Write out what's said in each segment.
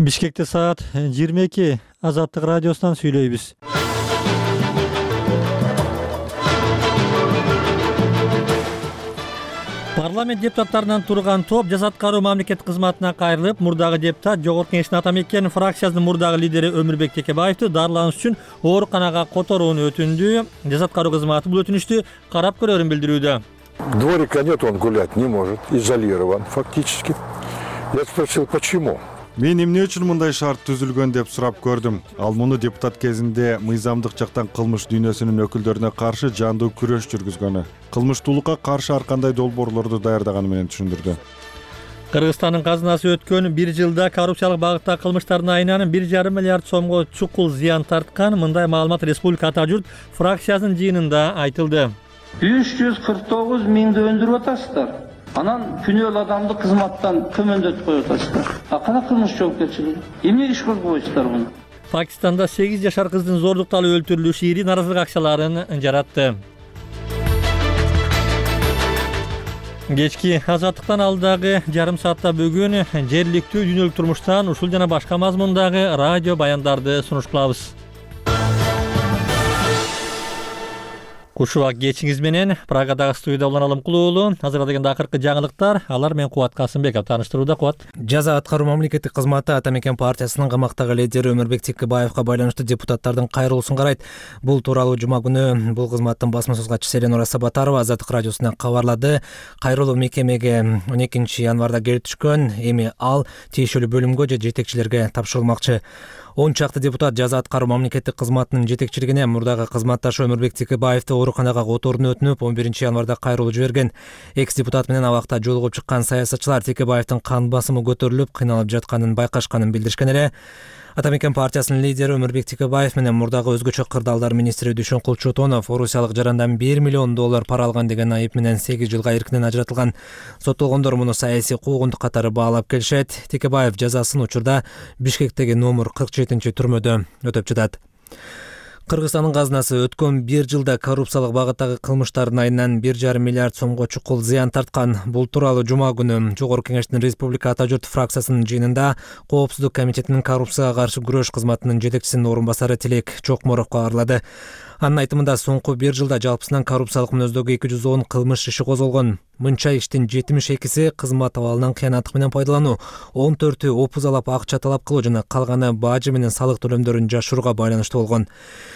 Бишкекте саат 22. Азаттык радиосунан сүйлөйбүз. Парламент депутаттарынан турган топ жаза аткаруу мамлекеттик кызматына кайрылып, мурдагы депутат Жогорку Кеңештин Атамекен фракциясынын мурдагы лидери Өмүрбек Текебаевди дарылануш үчүн ооруканага которууну өтүндү. Жаза аткаруу кызматы бул өтүнүштү карап көрөрүн билдирүүдө. Дворика нет, он гулять не может, изолирован фактически. Я спросил, почему? Мен эмне үчүн мындай шарт түзүлгөн деп сурап көрдүм. Ал муну депутат кезинде мыйзамдык жактан кылмыш дүйнөсүнүн өкүлдөрүнө каршы жандуу күрөш жүргүзгөнү, кылмыштуулукка каршы ар кандай долбоорлорду даярдаганы менен түшүндүрдү. Кыргызстандын казынасы өткөн 1 жылда коррупциялык багытта кылмыштардын айынан 1,5 миллиард сомго чукул зыян тарткан. Мындай маалымат Республика Ата журт фракциясынын жыйынында айтылды. 349 миңди өндүрүп атасыздар. Анан күнөөлүү адамды кызматтан көмөндөтүп коюп атасыздар. Кана кылмыш жоопкерчилиги? Эмнеге иш козгобойсуздар муну? Пакистанда 8 жашар кыздын зордукталып өлтүрүлүшү ири наразылык акчаларын жаратты. Кечки азаттыктан алдагы жарым саатта бүгүн жергиликтүү дүйнөлүк турмуштан ушул жана башка мазмундагы радио баяндарды сунуш кылабыз. Кушубак кечиңиз менен Прагадагы студияда Улан Алымкулуулу. Азырдагы акыркы жаңылыктар, алар менен Кубат Касымбеков таныштырууда. Кубат. Жаза аткаруу мамлекеттик кызматы Атамекен партиясынын камактагы лидери Өмүрбек Текебаевга байланыштуу депутаттардын кайрылуусун карайт. Бул тууралуу жума күнү бул кызматтын басма сөз катчысы Эленора Сабатарова Азаттык радиосуна кабарлады. Кайрылуу мекемеге 12 январда келип түшкөн. Эми ал тиешелүү бөлүмгө же жетекчилерге тапшырылмакчы. 10 чакты депутат жаза аткаруу мамлекеттик кызматынын жетекчилигине мурдагы кызматташы Өмүрбек Текебаевди ооруканага которууну өтүнүп, 11 январда кайрылуу жиберген. Экс депутат менен абакта жолугуп чыккан саясатчылар Текебаевдин кан басымы көтөрүлүп, кыйналып жатканын байкашканын билдиришкен эле. Атамекен партиясынын лидери Өмүрбек Текебаев менен мурдагы өзгөчө кырдаалдар министри Дүйшөнкул Чотонов орусиялык жарандан $1 миллион пара алган деген айып менен 8 жылга эркинен ажыратылган. Соттолгондор муну саясий куугунтук катары баалап келишет. Текебаев жазасын учурда Бишкектеги номер 47-түрмөдө өтөп жатат. Кыргызстандын казынасы өткөн 1 жылда коррупциялык багыттагы кылмыштардын айынан 1,5 миллиард сомго чукул зыян тарткан. Бул тууралуу жума күнү Жогорку Кеңештин Республика Ата журт фракциясынын жыйынында Коопсуздук комитетинин коррупцияга каршы күрөш кызматынын жетекчисинин орун басары Тилек Чокморов кабарлады. Анын айтымында соңку 1 жылда жалпысынан коррупциялык мүнөздөгү 210 кылмыш иши козголгон. Мынча иштин 72-си кызмат абалынан кыянаттык менен пайдалануу, 14-ü опузалап акча талап кылуу жана калганы бажы менен салык төлөмдөрүн жашырууга байланыштуу болгон.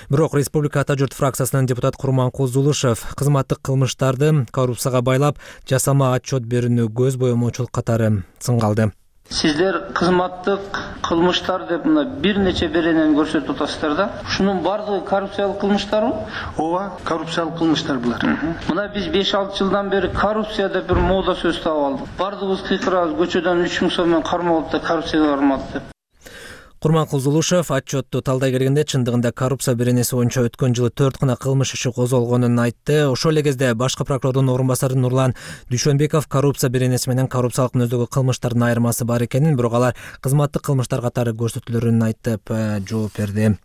Бирок Республика Ата журт фракциясынын депутат Курманкул Зулушев кызматтык кылмыштарды коррупцияга байлап, жасама отчет берүүнү көз боемоочулук катары сынгалды. Сиздер кызматтык кылмыштар деп мына бир нече беренени көрсөтүп атасыздар да. Ушунун бардыгы коррупциялык кылмыштарбы? Ооба, коррупциялык кылмыштар булар. Мына биз 5-6 жылдан бери коррупция деп бир мода сөз таап алдык. Бардыгыбыз кыйкырабыз, көчөдөн 3000 сом менен кармалып да коррупцияга бармады деп. Курманкул Зулушев отчетту талдай келгенде чындыгында коррупция беренеси боюнча өткөн жылы 4 гана кылмыш иши козголгонун айтты. Ошол эле кезде башкы прокурордун орун басары Нурлан Дүйшөнбеков коррупция беренеси менен коррупциялык мүнөздөгү кылмыштардын айырмасы бар экенин, бирок алар кызматтык кылмыштар катары көрсөтүлөрүн айтып жооп берди.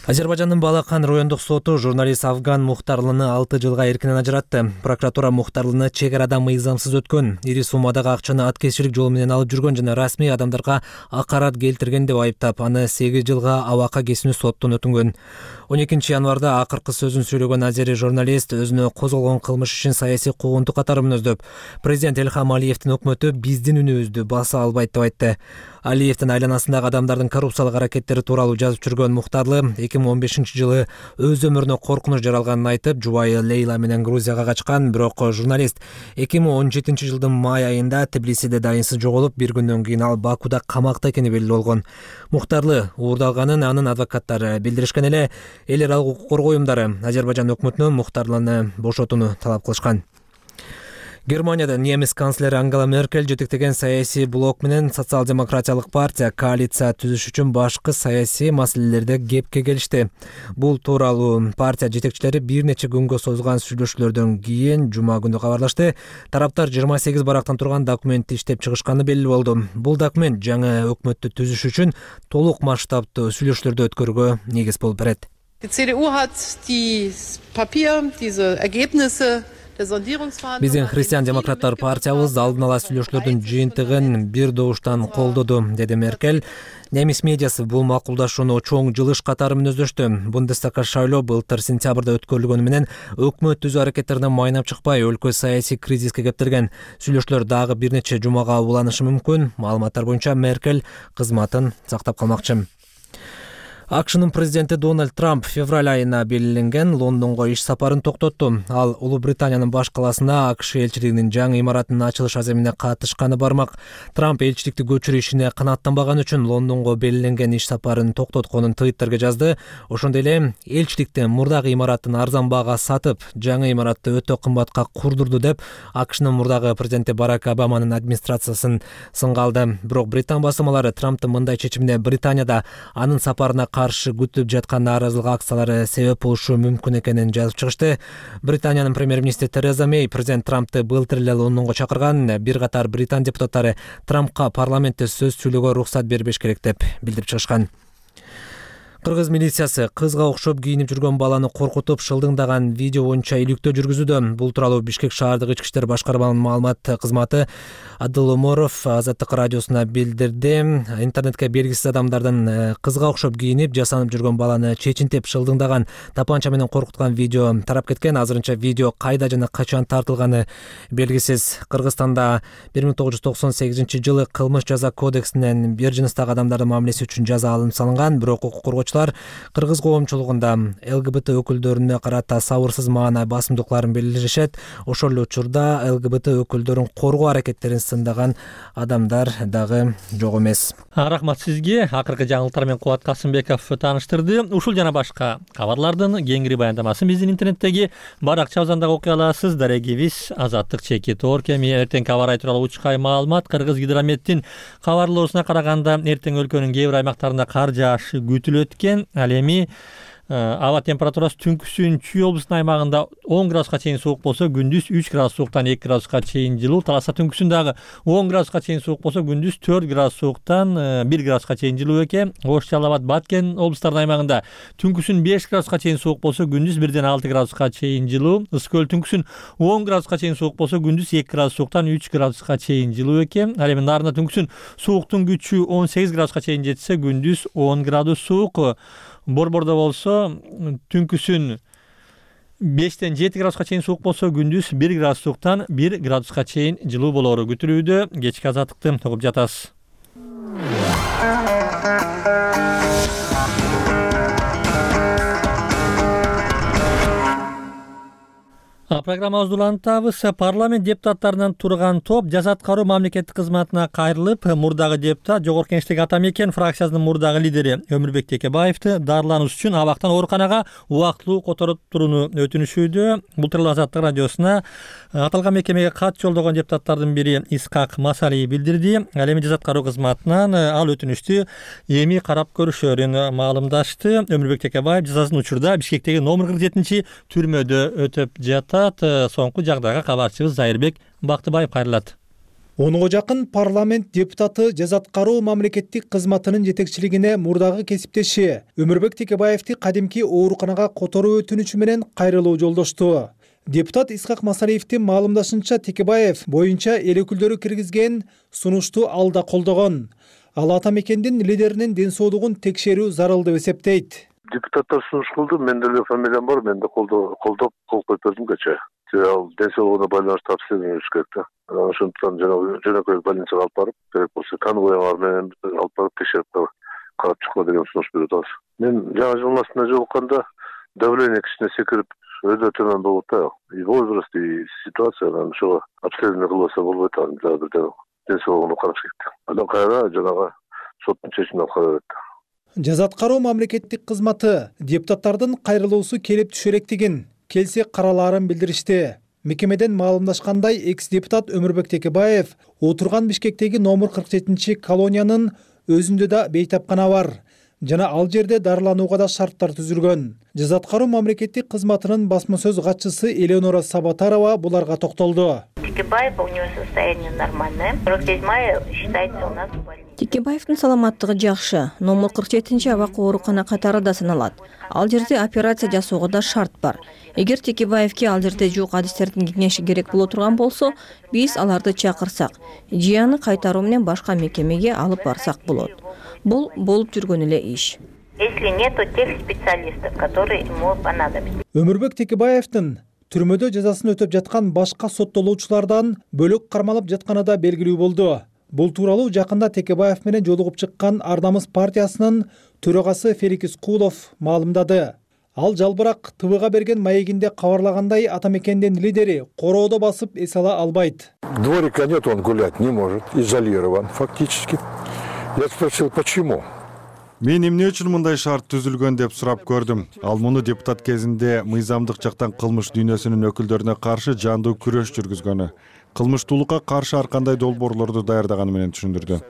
Азербайжандын Балакан райондук соту журналист Афган Мухтарлыны 6 жылга эркинен ажыратты. Прокуратура Мухтарлыны чек арада мыйзамсыз өткөн, ири суммадагы акчаны аткезчилик жолу менен алып жүргөн жана расмий адамдарга акарат келтирген деп айыптап, аны 8 жылга абакка кесүүнү соттон өтүнгөн. 12 январда акыркы сөзүн сүйлөгөн азери журналист өзүнө козголгон кылмыш ишин саясий куугунтук катары мүнөздөп, президент Элхам Алиевдин өкмөтү биздин үнүбүздү баса албайт деп айтты. Алиевдин айланасындагы адамдардын коррупциялык аракеттери тууралуу жазып жүргөн Мухтарлы 2015 жылы өз өмүрүнө коркунуч жаралганын айтып, жубайы Лейла менен Грузияга качкан, бирок журналист 2017 жылдын май айында Тбилисиде дайынсыз жоголуп, бир күндөн кийин ал Бакуда камакта экени белгилүү болгон. Мухтарлы уурдалганын анын адвокаттары билдиришкен эле. Эл аралык укук коргоо уюмдары Азербайжан өкмөтүнөн Мухтарлыны бошотууну талап кылышкан. Германияда немис канцлери Ангела Меркель жетектеген саясий блок менен социал-демократиялык партия коалиция түзүш үчүн башкы саясий маселелерде кепке келишти. Бул тууралуу партия жетекчилери бир нече күнгө созулган сүйлөшүүлөрдөн кийин жума күнү кабарлашты. Тараптар 28 барактан турган документти иштеп чыгышканы белгилүү болду. Бул документ жаңы өкмөттү түзүш үчүн толук масштабтуу сүйлөшүүлөрдү өткөрүүгө негиз болуп берет. Die CDU hat dieses Papier, diese Ergebnisse Биздин Христиан демократтар партиябыз алдын ала сүйлөшүүлөрдүн жыйынтыгын бир добуштан колдоду, деди Меркель. Немис медиасы бул макулдашууну чоң жылыш катары мүнөздөштү. Бундестагга шайлоо былтыр сентябрда өткөрүлгөнү менен өкмөт түзүү аракеттерине майнап чыкпай, өлкө саясий кризиске кептирген. Сүйлөшүүлөр дагы бир нече жумага уланышы мүмкүн. Маалыматтар боюнча Меркель кызматын сактап калмакчы. АКШнын президенти Дональд Трамп февраль айына белгиленген Лондонго иш сапарын токтотту. Ал Улуу Британиянын баш калаасына АКШ элчилигинин жаңы имаратынын ачылыш аземине катышканы бармак. Трамп элчиликти көчүрүү ишине канааттанбаган үчүн Лондонго белгиленген иш сапарын токтотконун Twitterге жазды. Ошондой эле элчиликти мурдагы имаратын арзан баага сатып, жаңы имаратты өтө кымбатка курдурду деп АКШнын мурдагы президенти Барак Обаманын администрациясын сынга алды. Бирок Британ басылмалары Трамптын мындай чечимине Британияда анын сапарына каршы күтүп жаткан нааразылык акциялары себеп болушу мүмкүн экенин жазып чыгышты. Британиянын премьер-министри Тереза Мэй президент Трампты былтыр эле Лондонго чакырган. Бир катар британ депутаттары Трампка парламентте сөз сүйлөөгө уруксат бербеш керек деп билдирип чыгышкан. Кыргыз милициясы кызга окшоп кийинип жүргөн баланы коркутуп шылдыңдаган видео боюнча иликтөө жүргүзүүдө. Бул тууралуу Бишкек шаардык ички иштер башкарманын маалымат кызматы Адыл Оморов Азаттык радиосуна билдирди. Интернетке белгисиз адамдардын кызга окшоп кийинип жасанып жүргөн баланы чечинтип шылдыңдаган, тапанча менен коркуткан видео тарап кеткен. Азырынча видео кайда жана качан тартылганы белгисиз. Кыргызстанда 1998-жылы кылмыш жаза кодексинен бир жыныстагы адамдардын мамилеси үчүн жаза алынып салынган. Бирок укук коргоочулар кыргыз коомчулугунда ЛГБТ өкүлдөрүнө карата сабырсыз маанай басымдыкларын билдиришет. Ошол эле учурда ЛГБТ өкүлдөрүн коргоо аракеттерин сындаган адамдар дагы жок эмес. Рахмат сизге. Акыркы жаңылыктар менен Кубат Касымбеков тааныштырды. Ушул жана башка кабарлардын кеңири баяндамасын биздин интернеттеги баракчабыздан дагы окуй аласыз. Дарегибиз Азаттык /Tor кеми. Эртең кабар ай тууралуу учкай маалымат. Кыргызгидрометтин кабарлоосуна караганда эртең өлкөнүн кээ бир аймактарында кар жаашы күтүлөт. Ал эми аба температурасы түнкүсүн Чүй облусунун аймагында 10 градуска чейин суук болсо, күндүз 3 градус сууктан 2 градуска чейин жылуу. Таласа түнкүсүн дагы 10 градуска чейин суук болсо, күндүз 4 градус сууктан 1 градуска чейин жылуу экен. Ош, Жалал Абад, Баткен облустарынын аймагында түнкүсүн 5 градуска чейин суук болсо, күндүз 1 6 градуска чейин жылуу. Ысык көл түнкүсүн 10 градуска чейин суук болсо, күндүз 2 градус сууктан 3 градуска чейин жылуу экен. Ал эми Нарында түнкүсүн сууктун күчү 18 градуска чейин жетсе, күндүз 10 градус суук. Борбордо болсо түнкүсүн 5-тен 7 градуска чейин суук болсо, күндүз 1 градус сууктан 1 градуска чейин жылуу болоору күтүлүүдө. Кечки азаттыкты угуп жатасыз. Программабызды улантабыз. Парламент депутаттарынан турган топ жаза аткаруу мамлекеттик кызматына кайрылып, мурдагы депутат Жогорку Кеңештеги ата мекен фракциясынын мурдагы лидери Өмүрбек Текебаевди дарылануш үчүн абактан ооруканага убактылуу которуп турууну өтүнүшүүдө. Бул тууралуу Азаттык радиосуна аталган мекемеге кат жолдогон депутаттардын бири Исхак Масалиев билдирди. Ал эми жаза аткаруу кызматынан ал өтүнүштү эми карап көрүшөрүн маалымдашты. Өмүрбек Текебаев жазасын учурда Бишкектеги номер 47 түрмөдө өтөп жатат. Соңку жагдайга кабарчыбыз Зайырбек Бактыбаев кайрылат. 10га жакын парламент депутаты жаза аткаруу мамлекеттик кызматынын жетекчилигине мурдагы кесиптеши Өмүрбек Текебаевди кадимки ооруканага которуу өтүнүчү менен кайрылуу жолдошту. Депутат Исхак Масалиевдин маалымдашынча, Текебаев боюнча эл өкүлдөрү киргизген сунушту алда колдогон. Ал ата мекендин лидеринин ден соолугун текшерүү зарыл деп эсептейт. Депутаттар сунуш кылды, менде эле фамилиям бар, мен да колдоп кол коюп бердим кечээ. Ал ден соолугуна байланыштуу обследование өтүш керек да. Ошондуктан жөнөкөй больницага алып барып, керек болсо конвойлар менен алып барып текшерип карап чыккыла деген сунуш берип атабыз. Мен жаңы жылдын астына жолукканда давление кичине секирип, өтө төмөн болуп да. И возраст, и ситуация, ошого обследование кылбаса болбойт, дагы бир ден соолугуна караш керек. Андан кайра жанагы соттун чечимине алып кала берет. Жаза аткаруу мамлекеттик кызматы депутаттардын кайрылуусу келип түшөректигин, келсе каралаарын билдиришти. Мекемеден маалымдашкандай, экс-депутат Өмүрбек Текебаев отурган Бишкектеги номер 47 колониянын өзүндө да бейтапкана бар жана ал жерде дарыланууга да шарттар түзүлгөн. Жаза аткаруу мамлекеттик кызматынын басма сөз катчысы Элеонора Сабатарова буларга токтолду. Текебаев, у него состояние нормальное. 47 мая считается у нас в больнице. Текебаевдин саламаттыгы жакшы. Номер 47 абак оорукана катары да саналат. Ал жерде операция жасоого да шарт бар. Эгер Текебаевке ал жерде жук адистердин кеңеши керек боло турган болсо, биз аларды чакырсак, же аны кайтаруу менен башка мекемеге алып барсак болот. Бул болуп жүргөн эле иш. Если нету тех специалистов, которые ему понадобятся. Өмүрбек Текебаевдин түрмөдө жазасын өтөп жаткан башка соттолуучулардан бөлөк кармалып жатканы да белгилүү болду. Бул тууралуу жакында Текебаев менен жолугуп чыккан Ардамыз партиясынын төрагасы Фелик Искулов маалымдады. Ал жалбырак ТВга берген маегинде кабарлагандай, ата мекендин лидери короодо басып эс ала албайт. Дворика нет, он гулять не может, изолирован фактически. Я спросил, почему? Мен эмне үчүн мындай шарт түзүлгөн деп сурап көрдүм. Ал муну депутат кезинде мыйзамдык жактан кылмыш дүйнөсүнүн өкүлдөрүнө каршы жандуу күрөш жүргүзгөнү, кылмыштуулукка каршы ар кандай долбоорлорду даярдаганы менен түшүндүрдү.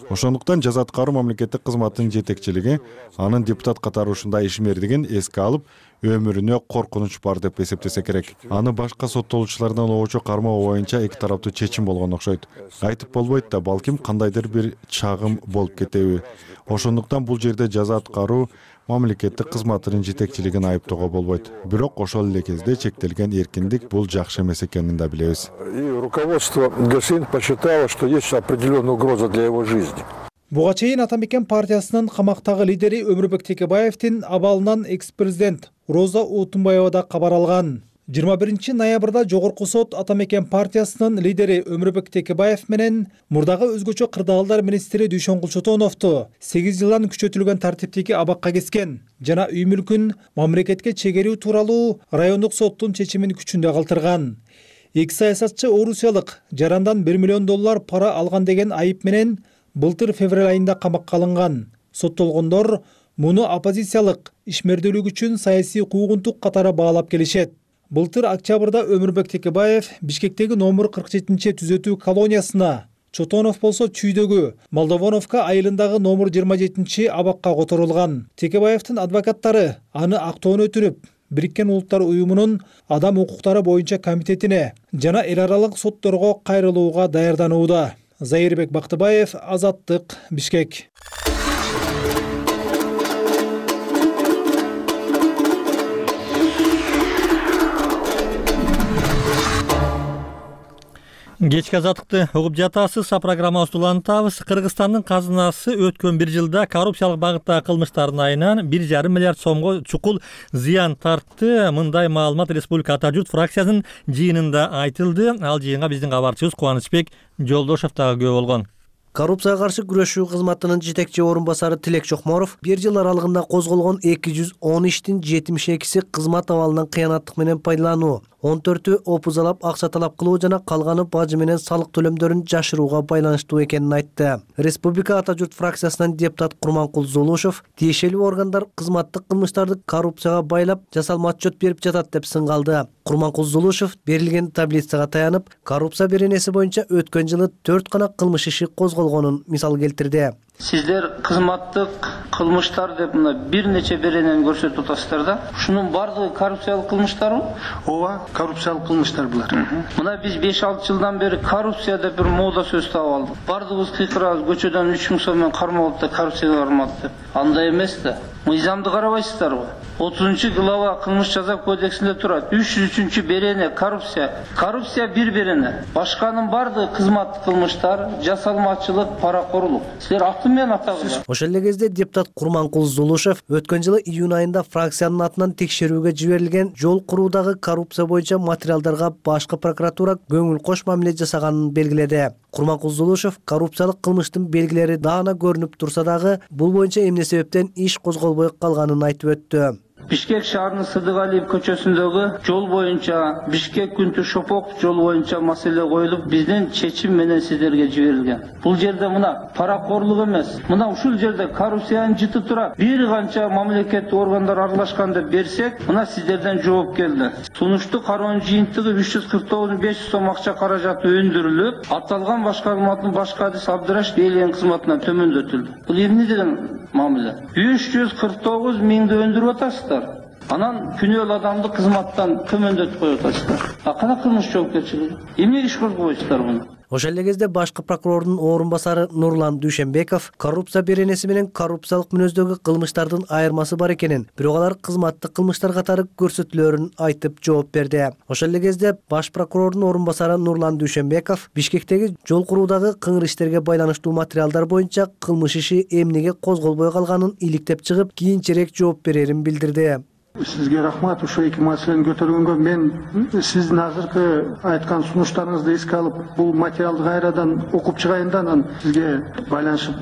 Ошондуктан жаза аткаруу мамлекеттик кызматтын жетекчилиги анын депутат катары ушундай ишмердигин эске алып, өмүрүнө коркунуч бар деп эсептесе керек. Аны башка соттолуучулардан обочо кармоо боюнча эки тараптуу чечим болгон окшойт. Айтып болбойт да, балким кандайдыр бир чагым болуп кетеби. Ошондуктан бул жерде жаза аткаруу мамлекеттик кызматынын жетекчилигин айыптоого болбойт. Бирок ошол эле кезде чектелген эркиндик бул жакшы эмес экенин да билебиз. И руководство ГСИН посчитало, что есть определенная угроза для его жизни. Буга чейин ата мекен партиясынын камактагы лидери Өмүрбек Текебаевдин абалынан экс-президент Роза Отунбаева да кабар алган. 21 ноябрда жогорку сот ата мекен партиясынын лидери Өмүрбек Текебаев менен мурдагы өзгөчө кырдаалдар министри Дүйшөнгүл Чотоновду 8 жылдан күчөтүлгөн тартиптеги абакка кескен жана үй мүлкүн мамлекетке чегерүү тууралуу райондук соттун чечимин күчүндө калтырган. Эки саясатчы орусиялык жарандан $1 миллион пара алган деген айып менен былтыр февраль айында камакка алынган. Соттолгондор муну оппозициялык ишмердүүлүк үчүн саясий куугунтук катары баалап келишет. Былтыр октябрда Өмүрбек Текебаев Бишкектеги номер 47 түзөтүү колониясына, Чотонов болсо Чүйдөгү, Молдовоновка айылындагы номер 27 абакка которулган. Текебаевдин адвокаттары аны актоон өтүрүп, Бириккен Улуттар уюмунун адам укуктары боюнча комитетине жана эл аралык сотторго кайрылууга даярданууда. Зайырбек Бактыбаев, Азаттык, Бишкек. Кечки азаттыкты угуп жатасыз. Программабызды улантабыз. Кыргызстандын казынасы өткөн бир жылда коррупциялык багыттагы кылмыштардын айынан 1,5 миллиард сомго чукул зыян тартты. Мындай маалымат Республика Ата журт фракциясынын жыйынында айтылды. Ал жыйынга биздин кабарчыбыз Кубанычбек Жолдошов дагы күбө болгон. Коррупцияга каршы күрөшүү кызматынын жетекчи орун басары Тилек Чокморов бир жыл аралыгында козголгон 210 иштин 72си кызмат абалынан кыянаттык менен пайдалануу, 14-ü опузалап акча талап кылуу жана калганы бажы менен салык төлөмдөрүн жашырууга байланыштуу экенин айтты. Республика Ата журт фракциясынан депутат Курманкул Зулушев тиешелүү органдар кызматтык кылмыштарды коррупцияга байлап жасалма отчет берип жатат деп сынгалды. Курманкул Зулушев берилген таблицага таянып, коррупция беренеси боюнча өткөн жылы 4 гана кылмыш иши козголгонун мисал келтирди. Сиздер кызматтык кылмыштар деп мына бир нече беренени көрсөтүп атасыздар да. Ушунун бардыгы коррупциялык кылмыштарбы? Ооба, коррупциялык кылмыштар булар. Мына биз 5-6 жылдан бери коррупция деп бир мода сөз таап алдык. Бардыгыбыз кыйкырабыз, көчөдөн 3000 сом менен кармалып да коррупцияга бармады деп. Андай эмес да. Мыйзамды карабайсыздарбы? 30-глава кылмыш жаза кодексинде турат. 303 берене коррупция. Коррупция бир берене. Башканын бардыгы кызматтык кылмыштар, жасалмачылык, паракорлук. Силер аты менен атагыла. Ошол эле кезде депутат Курманкул Зулушев өткөн жылы июнь айында фракциянын атынан текшерүүгө жиберилген жол куруудагы коррупция боюнча материалдарга башкы прокуратура көңүл кош мамиле жасаганын белгиледи. Курманкул Зулушев коррупциялык кылмыштын белгилери даана көрүнүп турса дагы бул боюнча эмне себептен иш козголбой калганын айтып өттү. Бишкек шаарынын Сыдыгалиев көчөсүндөгү жол боюнча Бишкек Күнтү Шопоков жол боюнча маселе коюлуп, биздин чечим менен сиздерге жиберилген. Бул жерде мына паракорлук эмес, мына ушул жерде коррупциянын жыты турат. Бир канча мамлекеттик органдар аралашкан деп берсек, мына сиздерден жооп келди. Сунушту кароонун жыйынтыгы 349.500 сом акча каражаты өндүрүлүп, аталган башкарманын башкы адис Абдырашев элен кызматынан төмөндөтүлдү. Бул эмне деген мамиле? 349 миңди өндүрүп атасыздар. Анан күнөөлүү адамды кызматтан төмөндөтүп коюп атасыздар. Кана кылмыш жоопкерчилиги? Эмне иш козгобойсуздар муну? Ошол эле кезде башкы прокурордун орун басары Нурлан Дүйшөнбеков коррупция беренеси менен коррупциялык мүнөздөгү кылмыштардын айырмасы бар экенин, бирок алар кызматтык кылмыштар катары көрсөтүлөрүн айтып жооп берди. Ошол эле кезде баш прокурордун орун басары Нурлан Дүйшөнбеков Бишкектеги жол куруудагы кыңыр иштерге байланыштуу материалдар боюнча кылмыш иши эмнеге козголбой калганын иликтеп чыгып, кийинчерээк жооп берерин билдирди. Сизге рахмат, ушул эки маселени көтөргөнгө. Мен сиздин азыркы айткан сунуштарыңызды эске алып, бул материалды кайрадан окуп чыгайын да, анан сизге байланышып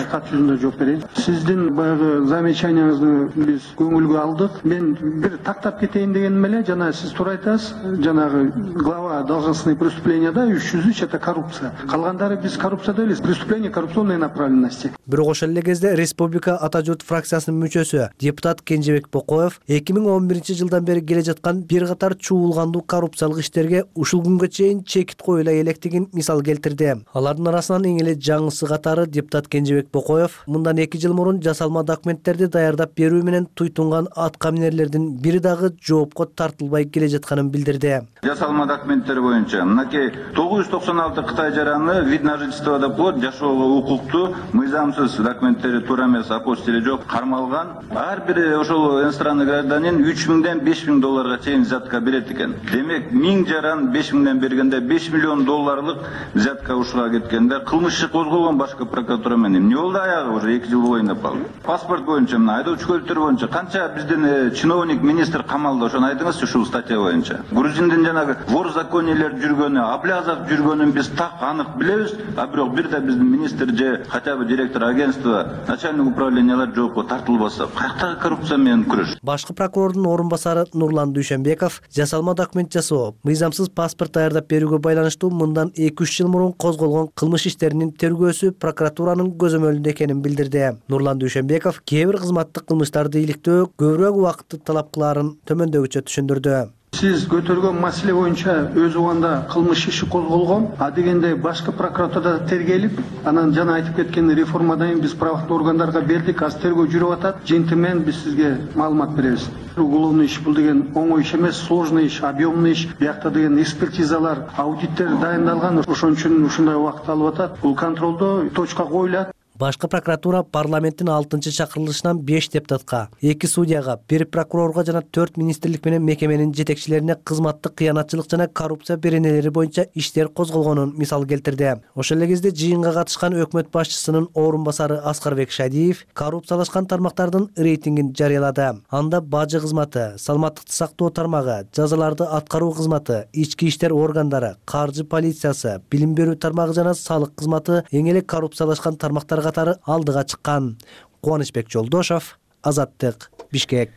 кат жүзүндө жооп берейин. Сиздин баягы замечанияңызды биз көңүлгө алдык. Мен бир тактап кетейин дегеним эле, жана сиз туура айтасыз, жанагы глава должностные преступленияда 303 это коррупция. Калгандары биз коррупция дейбиз, преступление коррупционной направленности. Бирок ошол эле кезде Республика Ата журт фракциясынын мүчөсү депутат Кенжебек Бокоев 2011 бери келе жаткан бир катар чуулгандуу коррупциялык иштерге ушул күнгө чейин чекит коюла электигин мисал келтирди. Алардын арасынан эң эле жаңысы катары депутат Кенжебек Бокоев мындан 2 жыл мурун жасалма документтерди даярдап берүү менен туйтунган атка минерлердин бири дагы жоопко тартылбай келе жатканын билдирди. Жасалма документтер боюнча мынакей 996 Кытай жараны вид на жительство деп коет, жашоого укуктуу мыйзамсыз документтери туура эмес, апостили жок кармалган. Ар бир ошол иностранный гражданин 3000-ден 5000 долларга чейин взятка берет экен. Демек 1000 жаран 5000-ден бергенде 5 миллион долларлык взятка ушуга кеткенде кылмыш иши козголгон башкы прокуратура менен. Эмне болду аягы уже 2 жыл болоюн деп калды. Паспорт боюнча мына айдоочу көлүктөр боюнча канча биздин чиновник, министр камалда, ошону айтыңызчы ушул статья боюнча. Грузиндин жанагы вор законийлер жүргөнү, Аблязов жүргөнүн биз так анык билебиз, а бирок бир да биздин министр же хотя бы директор агентства, начальник управлениялар жоопко тартылбаса, каяктагы коррупция менен күрөш? Башкы прокурордун орун басары Нурлан Дүйшөнбеков жасалма документ жасоо, мыйзамсыз паспорт даярдап берүүгө байланыштуу мындан 2-3 жыл мурун козголгон кылмыш иштеринин тергөөсү прокуратуранын көзөмөлүндө экенин билдирди. Нурлан Дүйшөнбеков кээ бир кызматтык кылмыштарды иликтөө көбүрөөк убакытты талап кылаарын төмөндөгүчө түшүндүрдү. Сиз көтөргөн маселе боюнча өз убагында кылмыш иши козголгон, а дегенде башкы прокуратурада тергелип, анан жана айтып кеткен реформадан кийин биз правоохрануу органдарга бердик, азыр тергөө жүрүп атат. Жентимен биз сизге маалымат беребиз. Уголовный иш бул деген оңой иш эмес, сложный иш, объемный иш. Биякта деген экспертизалар, аудиттер дайындалган, ошон үчүн ушундай убакыт алып атат. Бул контролдо точка коюлат. Башкы прокуратура парламенттин 6-чакырылышынан 5 депутатка, 2 судьяга, 1 прокурорго жана 4 министрлик менен мекеменин жетекчилерине кызматтык кыянатчылык жана коррупция беренелери боюнча иштер козголгонун мисал келтирди. Ошол эле кезде жыйынга катышкан өкмөт башчысынын орун басары Аскарбек Шадиев коррупциялашкан тармактардын рейтингин жарыялады. Анда бажы кызматы, саламаттыкты сактоо тармагы, жазаларды аткаруу кызматы, ички иштер органдары, каржы полициясы, билим берүү тармагы жана салык кызматы эң эле коррупциялашкан тармактар катары алдыга чыккан. Кубанычбек Жолдошов, Азаттык, Бишкек.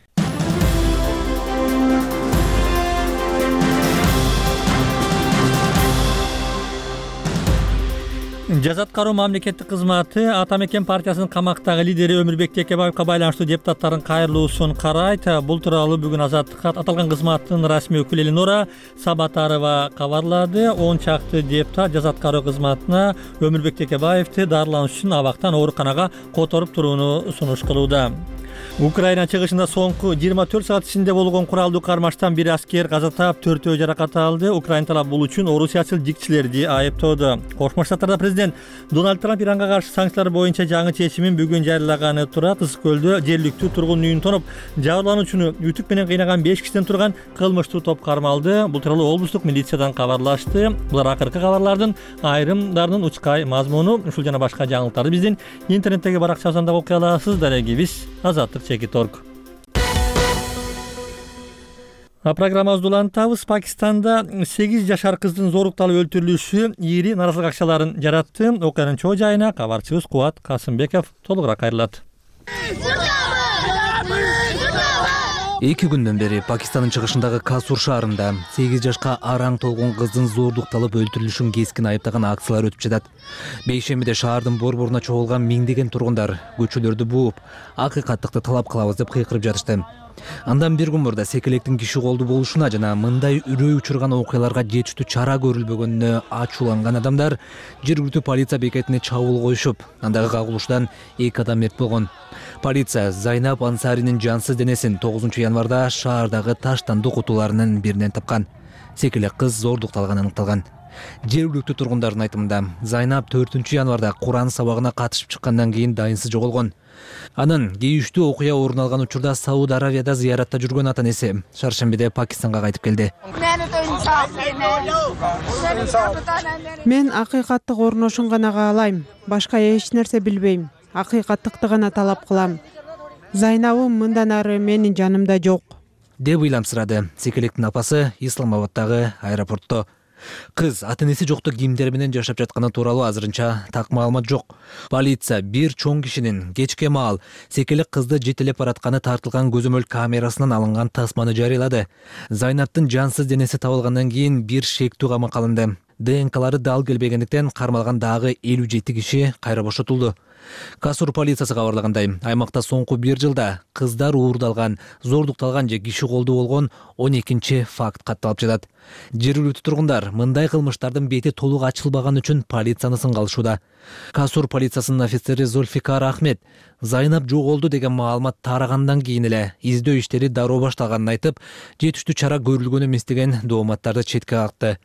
Жаза аткаруу мамлекеттик кызматы Ата Мекен партиясынын камактагы лидери Өмүрбек Текебаевка байланыштуу депутаттардын кайрылуусун карайт. Бул тууралуу бүгүн Азаттыкка аталган кызматтын расмий өкүлү Элинора Сабатарова кабарлады. 10 чакты депутат жаза аткаруу кызматына Өмүрбек Текебаевди дарылануу үчүн абактан ооруканага которуп турууну сунуш кылууда. Украина чыгышында соңку 24 саат ичинде болгон куралдуу кармаштан бир аскер каза таап, 4-өө жаракат алды. Украина талап бул үчүн орусиячыл дикчилерди айыптоодо. Кошмо Штаттарда президент Дональд Трамп Иранга каршы санкциялар боюнча жаңы чечимин бүгүн жарыялаганы турат. Ысык көлдө жергиликтүү тургун үйүн тоноп, жабырлануучуну үтүк менен кыйнаган 5 кишиден турган кылмыштуу топ кармалды. Бул тууралуу облустук милициядан кабарлашты. Булар акыркы кабарлардын айрымдарынын учкай мазмуну. Ушул жана башка жаңылыктарды биздин интернеттеги баракчабыздан окуй аласыз. Дарегибиз Азаттык.org. Программабызды улантабыз. Пакистанда 8 жашар кыздын зорукталып өлтүрүлүшү ири наразылык акчаларын жаратты. Окуянын чоо жайына кабарчыбыз Кубат Касымбеков толугураак кайрылат. 2 күндөн бери Пакистандын чыгышындагы Касур шаарында 8 жашка араң толгон кыздын зордукталып өлтүрүлүшүн кескин айыптаган акциялар өтүп жатат. Бейшембиде шаардын борборуна чогулган миңдеген тургундар көчөлөрдү бууп, акыйкаттыкты талап кылабыз деп кыйкырып жатышты. Андан бир күн мурда секелектин киши колду болушуна жана мындай үрөй учурган окуяларга жетиштүү чара көрүлбөгөнүнө ачууланган адамдар жергиликтүү полиция бекетине чабуул коюшуп, андагы кагылышуудан 2 адам мерт болгон. Полиция Зайнап Ансаринин жансыз денесин 9 январда шаардагы таштанды кутуларынын биринен тапкан. Секелек кыз зордукталганы аныкталган. Жергиликтүү тургундардын айтымында Зайнап 4 январда Куран сабагына катышып чыккандан кийин дайынсыз жоголгон. Анын кейиштүү окуя орун алган учурда Сауд Аравияда зыяратта жүргөн ата-энеси шаршембиде Пакистанга кайтып келди. Мен акыйкаттык орношун гана каалайм. Башка эч нерсе билбейм. Акыйкаттыкты гана талап кылам. Зайнабым мындан ары менин жанымда жок, деп ыйламсырады секелектин апасы Исламабаддагы аэропортто. Кыз ата-энеси жокто кимдер менен жашап жатканы тууралуу азырынча так маалымат жок. Полиция бир чоң кишинин кечке маал секелек кызды жетелеп баратканы тартылган көзөмөл камерасынан алынган тасманы жарыялады. Зайнаптын жансыз денеси табылгандан кийин бир шектүү камакка алынды. ДНКлары дал келбегендиктен кармалган дагы 57 киши кайра бошотулду. Касур полициясы кабарлагандай, аймакта соңку 1 жылда кыздар уурдалган, зордукталган же киши колду болгон 12 факт катталып жатат. Жергиликтүү тургундар мындай кылмыштардын бети толук ачылбаган үчүн полицияны сынга алышууда. Касур полициясынын офицери Зульфикар Ахмед Зайнап жоголду деген маалымат тарагандан кийин эле издөө иштери дароо башталганын айтып, жетиштүү чара көрүлгөн эмес деген дооматтарды четке какты.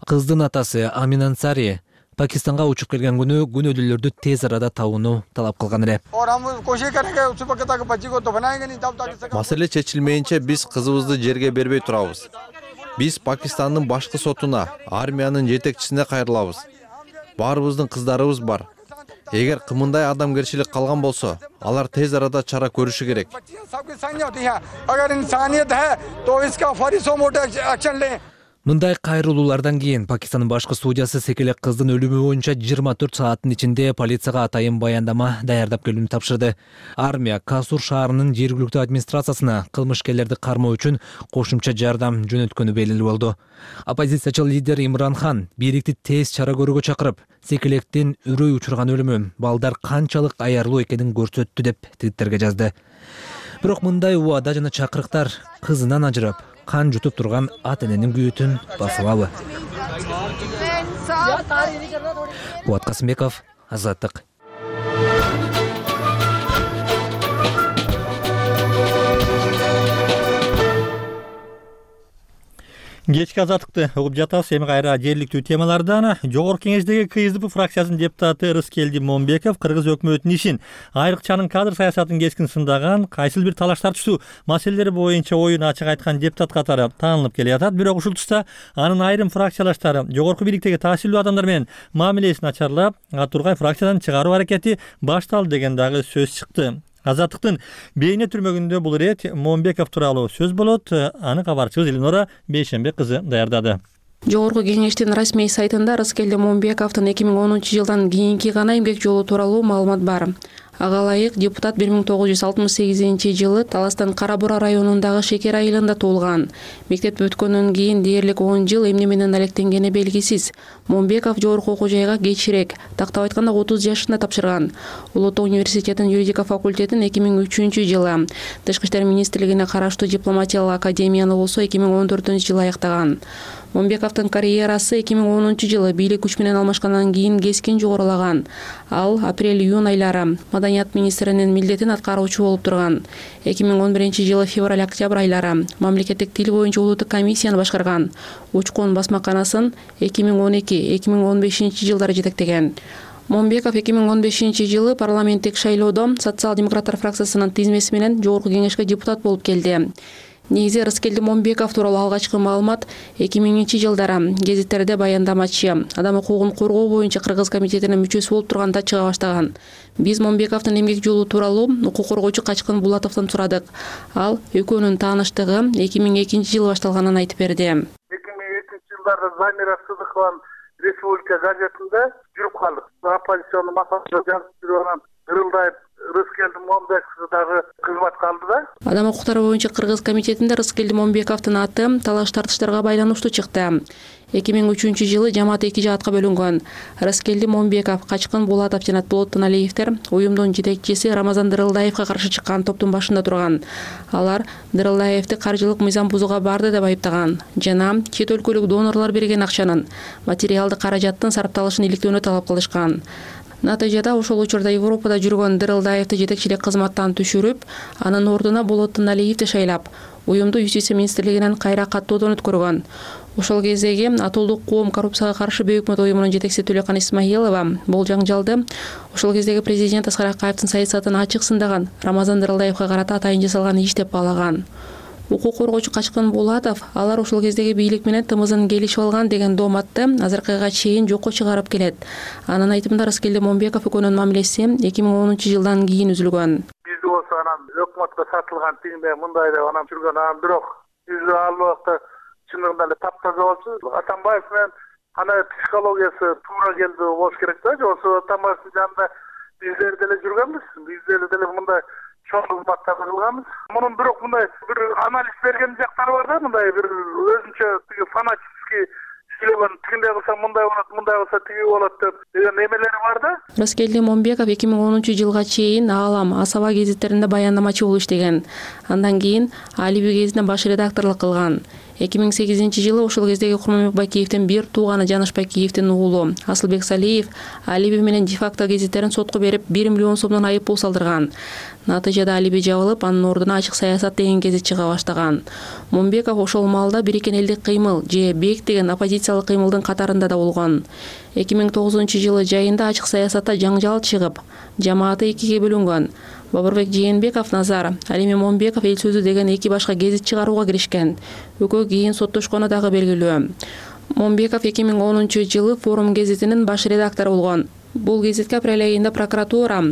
Кыздын атасы Амин Ансари Пакистанга учуп келген күнү күнөөдүүлөрдү тез арада табууну талап кылган эле. Маселе чечилмейинче биз кызыбызды жерге бербей турабыз. Биз Пакистандын башкы сотуна, армиянын жетекчисине кайрылабыз. Баарыбыздын кыздарыбыз бар. Эгер кымындай адамгерчилик калган болсо, алар тез арада чара көрүшү керек. Мындай кайрылуулардан кийин Пакистандын башкы судьясы секелек кыздын өлүмү боюнча 24 сааттын ичинде полицияга атайын баяндама даярдап келүүнү тапшырды. Армия Касур шаарынын жергиликтүү администрациясына кылмышкерлерди кармоо үчүн кошумча жардам жөнөткөнү белгилүү болду. Оппозициячыл лидер Имран Хан бийликти тез чара көрүүгө чакырып, секелектин үрөй учурган өлүмү балдар канчалык аярлуу экенин көрсөттү деп твиттерге жазды. Бирок мындай убада жана чакырыктар кызынан ажырап, кан жутуп турган ата-эненин күйөтүн баса алабы? Кубат Касымбеков, Азаттык. Кечки Азаттыкты угуп жатабыз. Эми кайра жергиликтүү темалардан. Жогорку кеңештеги КСДП фракциясынын депутаты Рыскелди Момбеков кыргыз өкмөтүнүн ишин, айрыкчанын кадр саясатын кескин сындаган, кайсыл бир талаш тартыштуу маселелер боюнча оюн ачык айткан депутат катары таанылып келе жатат. Бирок ушул тушта анын айрым фракциялаштары жогорку бийликтеги таасирдүү адамдар менен мамилесин начарлап, Атургай фракциядан чыгаруу аракети башталды деген дагы сөз чыкты. Азаттыктын бейне түрмөгүндө бул ирет Момбеков тууралуу сөз болот. Аны кабарчыбыз Элинора Бейшембек кызы даярдады. Жогорку кеңештин расмий сайтында Рыскелди Момбековдун 2010 жылдан кийинки гана эмгек жолу тууралуу маалымат бар. Ага ылайык депутат 1968 жылы Таластан Кара-Бура районундагы Шекер айылында туулган. Мектеп бүткөндөн кийин дээрлик 10 жыл эмне менен алектенгени белгисиз. Момбеков жогорку окуу жайга кечирээк, тактап айтканда 30 жашында тапшырган. Улуу Тоо университетинин юридика факультетин 2003 жылы, Тышкы иштер министрлигине караштуу дипломатиялык академияны болсо 2014 жылы аяктаган. Момбековдун карьерасы 2010 жылы бийлик күч менен алмашкандан кийин кескин жогорулаган. Ал апрель-июнь айлары Маданият министринин милдетин аткаруучу болуп турган. 2011 жылы февраль-октябрь айлары мамлекеттик тил боюнча улуттук комиссияны башкарган. Учкун басмаканасын 2012-2015 жылдары жетектеген. Момбеков 2015 жылы парламенттик шайлоодо социал-демократтар фракциясынын тизмеси менен жогорку кеңешке депутат болуп келди. Негизи Рыскелди Момбеков тууралуу алгачкы маалымат 2000 жылдары гезиттерде баяндамачы, адам укугун коргоо боюнча Кыргыз комитетинин мүчөсү болуп турганда чыга баштаган. Биз Момбековдун эмгек жолу тууралуу укук коргоочу Качкын Булатовдон сурадык. Ал экөөнүн тааныштыгы 2002 жылы башталганын айтып берди. 2002 жылдарда Замира Сыдыкованын Республика газетинде жүрүп калдык. Оппозиционный маслихатта жазып жүрүп анан Дырылдаев Рыскелди Момбеков дагы кызматка алды да. Адам укуктары боюнча Кыргыз комитетинде Рыскелди Момбековдун аты талаш тартыштарга байланыштуу чыкты. 2003-жылы жамаат 2 жаатка бөлүнгөн. Рыскелди Момбеков, Качкын Булатов жана Болоттун Алиевдер уюмдун жетекчиси Рамазан Дырылдаевге каршы чыккан топтун башында турган. Алар Дырылдаевди каржылык мыйзам бузууга барды деп айыптаган жана чет өлкөлүк донорлор берген акчанын материалдык каражаттын сарапталышын иликтөөнү талап кылышкан. Натыйжада ошол учурда Европада жүргөн Дырылдаевди жетекчилик кызматтан түшүрүп, анын ордуна Болоттун Алиевди шайлап, уюмду Юстиция министрлигинен кайра каттоодон өткөргөн. Ошол кездеги Атуулдук коом коррупцияга каршы Бөйүк Мот уюмунун жетекчиси Төлөкан Исмаилова бул жаңжалды ошол кездеги президент Аскар Акаевдин саясатын ачык сындаган, Рамазан Дырылдаевге карата атайын жасалган иш деп баалаган. Укук коргоочу Качкын Булатов алар ошол кездеги бийлик менен тымызын келишип алган деген дооматты азыркыга чейин жокко чыгарып келет. Анын айтымында Рыскелди Момбеков экөөнүн мамилеси 2010-жылдан кийин үзүлгөн. Бизде болсо анан өкмөткө сатылган тигинде мындай деп анан жүргөн, анан бирок биз ал убакта чындыгында эле таптаза болчу. Атамбаев менен ана психологиясы туура келди болуш керек да. Жоксо Атамбаевдин жанында биздер деле жүргөнбүз. Биздер деле мындай чоң кызматта кылганбыз. Мунун бирок мындай бир анализ берген жактары бар да, мындай бир өзүнчө тиги фанатический сүйлөгөн, тигиндей кылса мындай болот, мындай кылса тиги болот деп деген эмелери бар да. Рыскелди Момбеков 2010-жылга чейин Аалам, Асаба гезиттеринде баяндамачы болуп иштеген. Андан кийин Алиби гезитине баш редакторлук кылган. 2008-жылы ошол кездеги Курманбек Бакиевдин бир тууганы Жаныш Бакиевдин уулу Асылбек Салиев Алиби менен де-факто гезиттерин сотко берип 1 миллион сомдон айып пул салдырган. Натыйжада Алиби жабылып, анын ордуна Ачык саясат деген гезит чыга баштаган. Момбеков ошол маалда Бириккен элдик кыймыл же БЕК деген оппозициялык кыймылдын катарында да болгон. 2009-жылы жайында Ачык саясатта жаңжал чыгып, жамааты экиге бөлүнгөн. Бабырбек Жээнбеков Назар, Алими Момбеков Эл сөзү деген эки башка гезит чыгарууга киришкен. Экөө кийин соттошкону дагы белгилүү. Момбеков 2010-жылы Форум гезитинин баш редактору болгон. Бул гезитке апрель айында прокуратура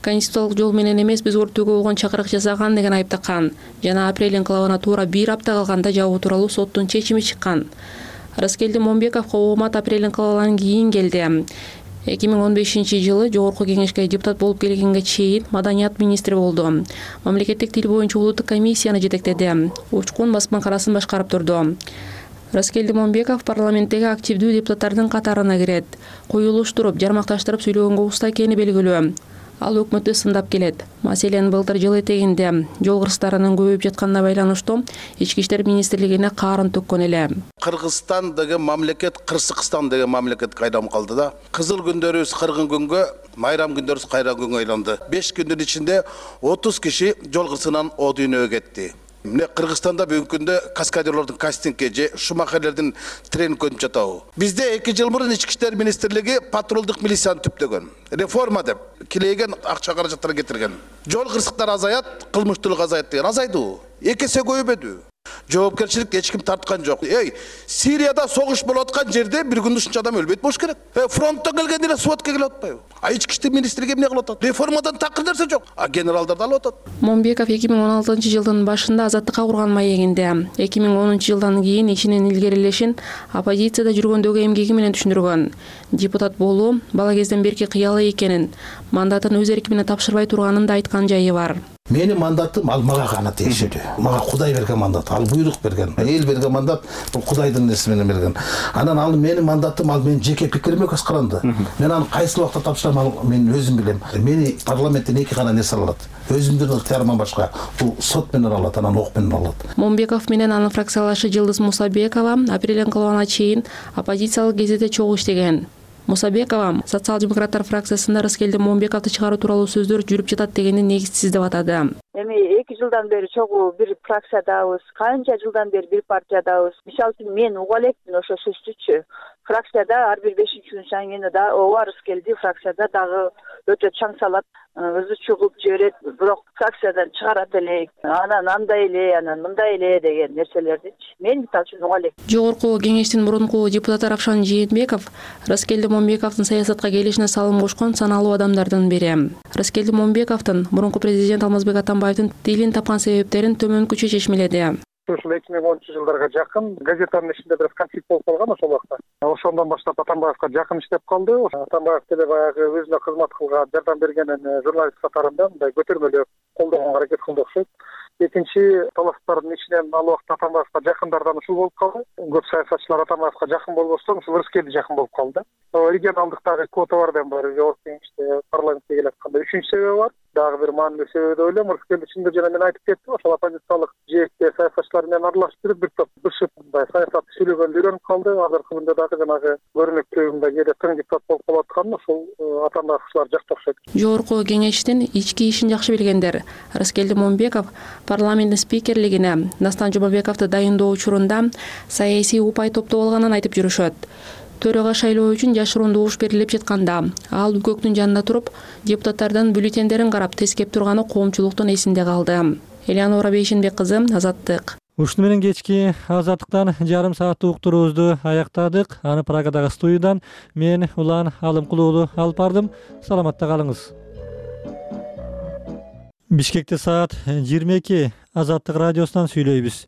конституциялык жол менен эмес биз өрттөөгө болгон чакырык жасаган деген айып таккан. Жана апрель инкылабына туура 1 апта калганда жабуу тууралуу соттун чечими чыккан. Рыскелди Момбековго оомат апрель инкылабынан кийин келди. 2015-жылы Жогорку кеңешке депутат болуп келгенге чейин маданият министри болду. Мамлекеттик тил боюнча улуттук комиссияны жетектеди. Учкун басмакарасын башкарып турду. Рыскелди Момбеков парламенттеги активдүү депутаттардын катарына кирет. Коюлуштуруп, жармакташтырып сүйлөгөнгө уста экени белгилүү. Ал өкмөттү сындап келет. Маселен, былтыр жыл этегинде жол кырсыктарынын көбөйүп жатканына байланыштуу Ички иштер министрлигине каарын төккөн эле. Кыргызстан деген мамлекет Кырсыкстан деген мамлекетке айналып калды да. Кызыл күндөрүбүз кыргын күнгө, майрам күндөрүбүз кайран күнгө айланды. 5 күндүн ичинде 30 киши жол кырсыгынан о дүйнөгө кетти. Мына Кыргызстанда бүгүнкү күндө каскадерлордун кастингке же шумахерлердин тренингге өтүп жатабы. Бизде 2 жыл мурун Ички иштер министрлиги патрулдук милицияны түптөгөн. Реформа деп килейген акча каражаттар кетирген. Жол кырсыктары азаят, кылмыштуулук азаят деген азайды. 2 эсе көбөйбөдү. Жоопкерчилик эч ким тарткан жок. Сирияда согуш болуп аткан жерде бир күндө ушунча адам өлбөйт болуш керек. Фронттон келген эле сводка келип атпайбы? Ички иштер министрлиги эмне кылып атат? Реформадан такыр нерсе жок. Генералдар да алып атат. Момбеков 2016-жылдын башында азаттыкка курган маегинде 2010-жылдан кийин ишинин илгерилешин оппозицияда жүргөндөгү эмгеги менен түшүндүргөн. Депутат болуу бала кезден берки кыялы экенин, мандатын өз эрки менен тапшырбай турганын да айткан жайы бар. Менин мандатым ал мага гана тиешелүү. Мага Кудай берген мандат, ал буйрук берген. Эл берген мандат бул Кудайдын неси менен берген. Анан ал менин мандатым, ал менин жеке пикириме көз каранды. Мен аны кайсы убакта тапшырам, ал мен өзүм билем. Мени парламенттен 2 гана нерсе алат. Өзүмдүн ыктыярымдан башка бул сот менен алат, анан ок менен алат. Момбеков менен анын фракциялашы Жылдыз Мусабекова апрель инкылабына чейин оппозициялык гезитте чогуу иштеген. Мусабекова социал-демократтар фракциясында Рыскелди Момбековду чыгаруу тууралуу сөздөр жүрүп жатат дегенди негизсиз деп атады. Эми 2 жылдан бери чогуу бир фракциядабыз, канча жылдан бери бир партиядабыз. Мисалы үчүн мен уга элекмин ошо сөздүчү. Фракцияда ар бир 5-күн сайын да ооба Рыскелди фракцияда дагы өтө чаң салат, өзү чугуп жиберет, бирок фракциядан чыгарат элек, анан андай эле, анан мындай эле деген нерселердичи. Мен мисалы үчүн уга элек. Жогорку кеңештин мурунку депутаты Равшан Жээнбеков Рыскелди Момбековдун саясатка келишине салым кошкон саналуу адамдардын бири. Рыскелди Момбековдун мурунку президент Алмазбек Атамбаевдин тилин тапкан себептерин төмөнкүчө чечмеледи. ушул 2010-жылдарга жакын газетанын ичинде бир конфликт болуп калган ошол убакта. Ошондон баштап Атамбаевка жакын иштеп калды. Атамбаев деле баягы өзүнө кызмат кылган, жардам берген журналист катарында мындай көтөрмөлөп колдогонго аракет кылды окшойт. Экинчи талаштардын ичинен ал убакта Атамбаевка жакындардан ушул болуп калды. Көп саясатчылар Атамбаевка жакын болбостон ушул Рыскелди жакын болуп калды. Регионалдык дагы квота бар деп бар. Жогорку кеңеште парламентке келатканда үчүнчү себеби бар. Дагы бир маанилүү себеби деп ойлойм. Рыскелди чындыгы жана мен айтып кеттим, ошол оппозициялык жээкте саясатчылар менен аралашып жүрүп бир топ бышып мындай саясат сүйлөгөндө үйрөнүп калды. Азыркы күндө дагы жанагы көрүнүктүү кээде тың депутат болуп калып аткан ошол Атамбаев ушулар жакта окшойт. Жогорку кеңештин ички ишин жакшы билгендер Рыскелди Момбеков парламенттин спикерлигине Дастан Жумабековду дайындоо учурунда саясий упай топтоп алганын айтып жүрүшөт. Төрага шайлоо үчүн жашыруун добуш берилип жатканда ал үкөктүн жанында туруп депутаттардын бюллетендерин карап тескеп турганы коомчулуктун эсинде калды. Элеонора Бейшенбек кызы, Азаттык. Ушуну менен кечки Азаттыктан жарым сааттык уктуруубузду аяктадык. Аны Прагадагы студиядан мен Улан Алымкул уулу алып бардым. Саламатта калыңыз. Бишкекте саат 22. Азаттык радиосунан сүйлөйбүз.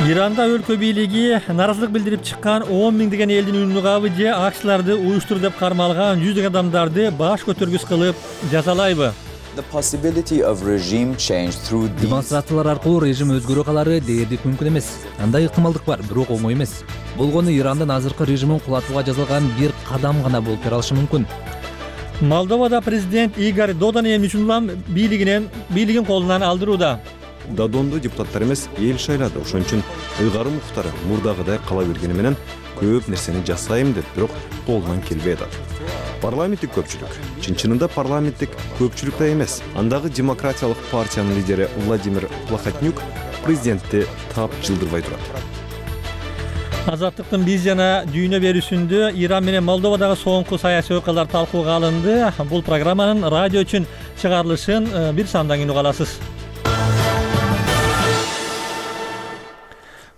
Иранда өлкө бийлиги наразылык билдирип чыккан 10 миңдеген элдин үнүн угабы же акчыларды уюштур деп кармалган жүздөгөн адамдарды баш көтөргүс кылып жазалайбы? Демонстрациялар аркылуу режим өзгөрө калары дээрлик мүмкүн эмес. Андай ыктымалдык бар, бирок оңой эмес. Болгону Ирандын азыркы режимин кулатууга жасалган бир кадам гана болуп берилиши мүмкүн. Молдовада президент Игорь Додон эмне үчүн улам бийлигин колунан алдырууда? Додонду депутаттар эмес, эл шайлады. Ошон үчүн ыйгарым муктары мурдагыдай кала бергени менен көп нерсени жасайм деп, бирок колунан келбей атат. Парламенттик көпчүлүк. Чын-чынында парламенттик көпчүлүк да эмес. Андагы демократиялык партиянын лидери Владимир Плохотнюк президентти тап жылдырбай турат. Азаттыктын биз жана дүйнө берүүсүндө Иран менен Молдовадагы соңку саясий окуялар талкууга алынды. Бул программанын радио үчүн чыгарылышын бир сандан кийин уга аласыз.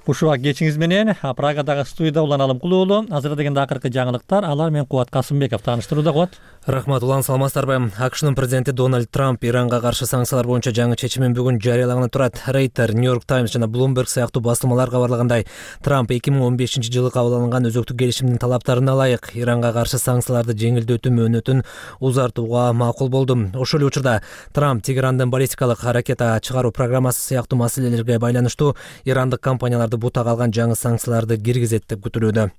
Ушул кечиңиз менен Прагадагы студияда Улан Алымкул уулу. Азыр дегенде акыркы жаңылыктар, алар менен Кубат Касымбеков тааныштырууда. Кубат. Рахмат, Улан, саламатсыздарбы? АКШнын президенти Дональд Трамп Иранга каршы санкциялар боюнча жаңы чечимин бүгүн жарыялаганы турат. Рейтер, Нью-Йорк Таймс жана Bloomberg сыяктуу басылмалар кабарлагандай, Трамп 2015-жылы кабыл алынган өзөктүк келишимдин талаптарына ылайык Иранга каршы санкцияларды жеңилдетүү мөөнөтүн узартууга макул болду. Ошол учурда Трамп Тегерандын баллистикалык ракета чыгаруу программасы сыяктуу маселелерге байланыштуу ирандык компанияларды бутага алган жаңы санкцияларды киргизет деп күтүлүүдө.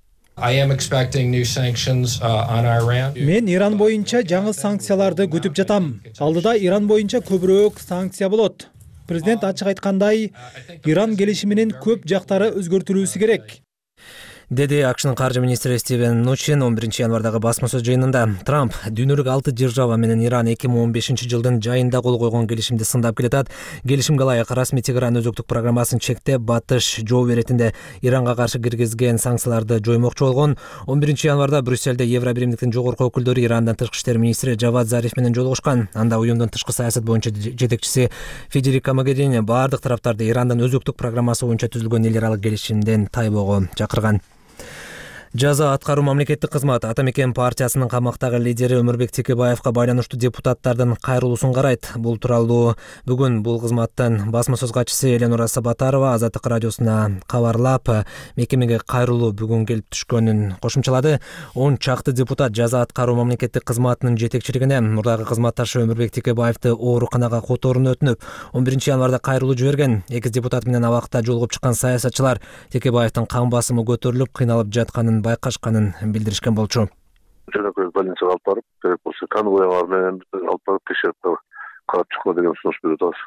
Мен Иран боюнча жаңы санкцияларды күтүп жатам. Алдыда Иран боюнча көбүрөөк санкция болот. Президент ачык айткандай, Иран келишиминин көп жактары өзгөртүлүүсү керек, деди АКШнын каржы министри Стивен Нучин 11-январдагы басма сөз жыйынында. Трамп дүйнөлүк 6 держава менен Иран 2015-жылдын жайында кол койгон келишимди сындап келатат. Келишимге ылайык расмий Тегеран өзөктүк программасын чектеп, батыш жоо иретинде Иранга каршы киргизген санкцияларды жоймокчу болгон. 11-январда Брюссельде Евробиримдиктин жогорку өкүлдөрү Ирандын тышкы иштер министри Жавад Зариф менен жолугушкан. Анда уюмдун тышкы саясат боюнча жетекчиси Федерико Могерини бардык тараптарды Ирандын өзөктүк программасы боюнча түзүлгөн эл аралык келишимден тайбоого чакырган. Жаза аткаруу мамлекеттик кызмат Атамекен партиясынын камактагы лидери Өмүрбек Текебаевка байланыштуу депутаттардын кайрылуусун карайт. Бул тууралуу бүгүн бул кызматтын басма сөз катчысы Эленора Сабатарова Азаттык радиосуна кабарлап, мекемеге кайрылуу бүгүн келип түшкөнүн кошумчалады. 10 чакты депутат жаза аткаруу мамлекеттик кызматынын жетекчилигине мурдагы кызматташы Өмүрбек Текебаевди ооруканага которууну өтүнүп, 11-январда кайрылуу жиберген. 2 депутат менен абакта жолугуп чыккан саясатчылар Текебаевдин кан басымы көтөрүлүп, кыйналып жатканын байкашканын билдиришкен болчу. Жөнөкөй больницага алып барып, керек болсо кан уялар менен алып барып текшерип карап чыккыла деген сунуш берип атабыз,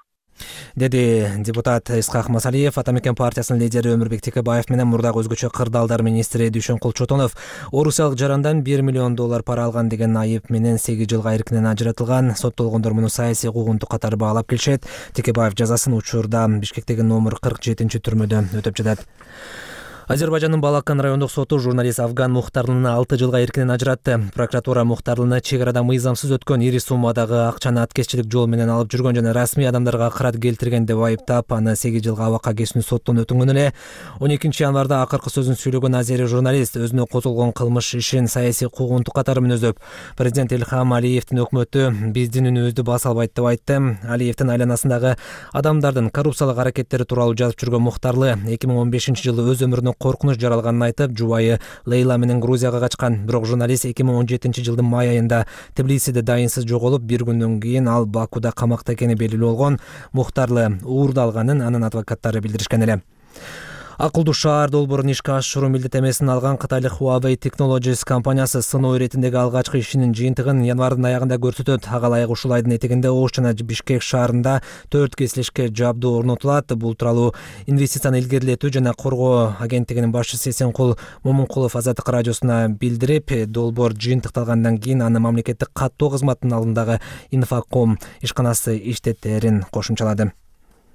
деди депутат Исхак Масалиев. Атамекен партиясынын лидери Өмүрбек Текебаев менен мурдагы өзгөчө кырдаалдар министри Дүйшөнкул Чотонов Орусиялык жарандан $1 миллион пара алган деген айып менен 8 жылга эркинен ажыратылган. Соттолгондор муну саясий куугунтук катары баалап келишет. Текебаев жазасын учурда Бишкектеги номер 47 түрмөдө өтөп жатат. Азербайжандын Балакан райондук соту журналист Афган Мухтарлыны 6 жылга эркинен ажыратты. Прокуратура Мухтарлыны чек арада мыйзамсыз өткөн ири суммадагы акчаны аткезчилик жол менен алып жүргөн жана расмий адамдарга кырат келтирген деп айыптап, аны 8 жылга абакка кесүүнү соттон өтүнгөн эле. 12 январда акыркы сөзүн сүйлөгөн азери журналист өзүнө козголгон кылмыш ишин саясий куугунтук катары мүнөздөп, президент Илхам Алиевдин өкмөтү биздин үнүбүздү баса албайт деп айтты. Алиевдин айланасындагы адамдардын коррупциялык аракеттери тууралуу жазып жүргөн Мухтарлы 2015-жылы өз өмүрүнө коркунуч жаралганын айтып, жубайы Лейла менен Грузияга качкан. Бирок журналист 2017-жылдын май айында Тбилисиде дайынсыз жоголуп, бир күндөн кийин ал Бакуда камакта экени белгилүү болгон. Мухтарлы уурдалганын анын адвокаттары билдиришкен эле. Акылдуу шаар долбоорун ишке ашыруу милдеттемесин алган кытайлык Huawei Technologies компаниясы сыноо иретиндеги алгачкы ишинин жыйынтыгын январдын аягында көрсөтөт. Ага ылайык ушул айдын этегинде Ош жана Бишкек шаарында 4 кесилишке жабдуу орнотулат. Бул тууралуу инвестицияны илгерилетүү жана коргоо агенттигинин башчысы Эсенкул Момункулов Азаттык радиосуна билдирип, долбоор жыйынтыкталгандан кийин аны мамлекеттик каттоо кызматынын алдындагы Инфоком ишканасы иштеттерин кошумчалады.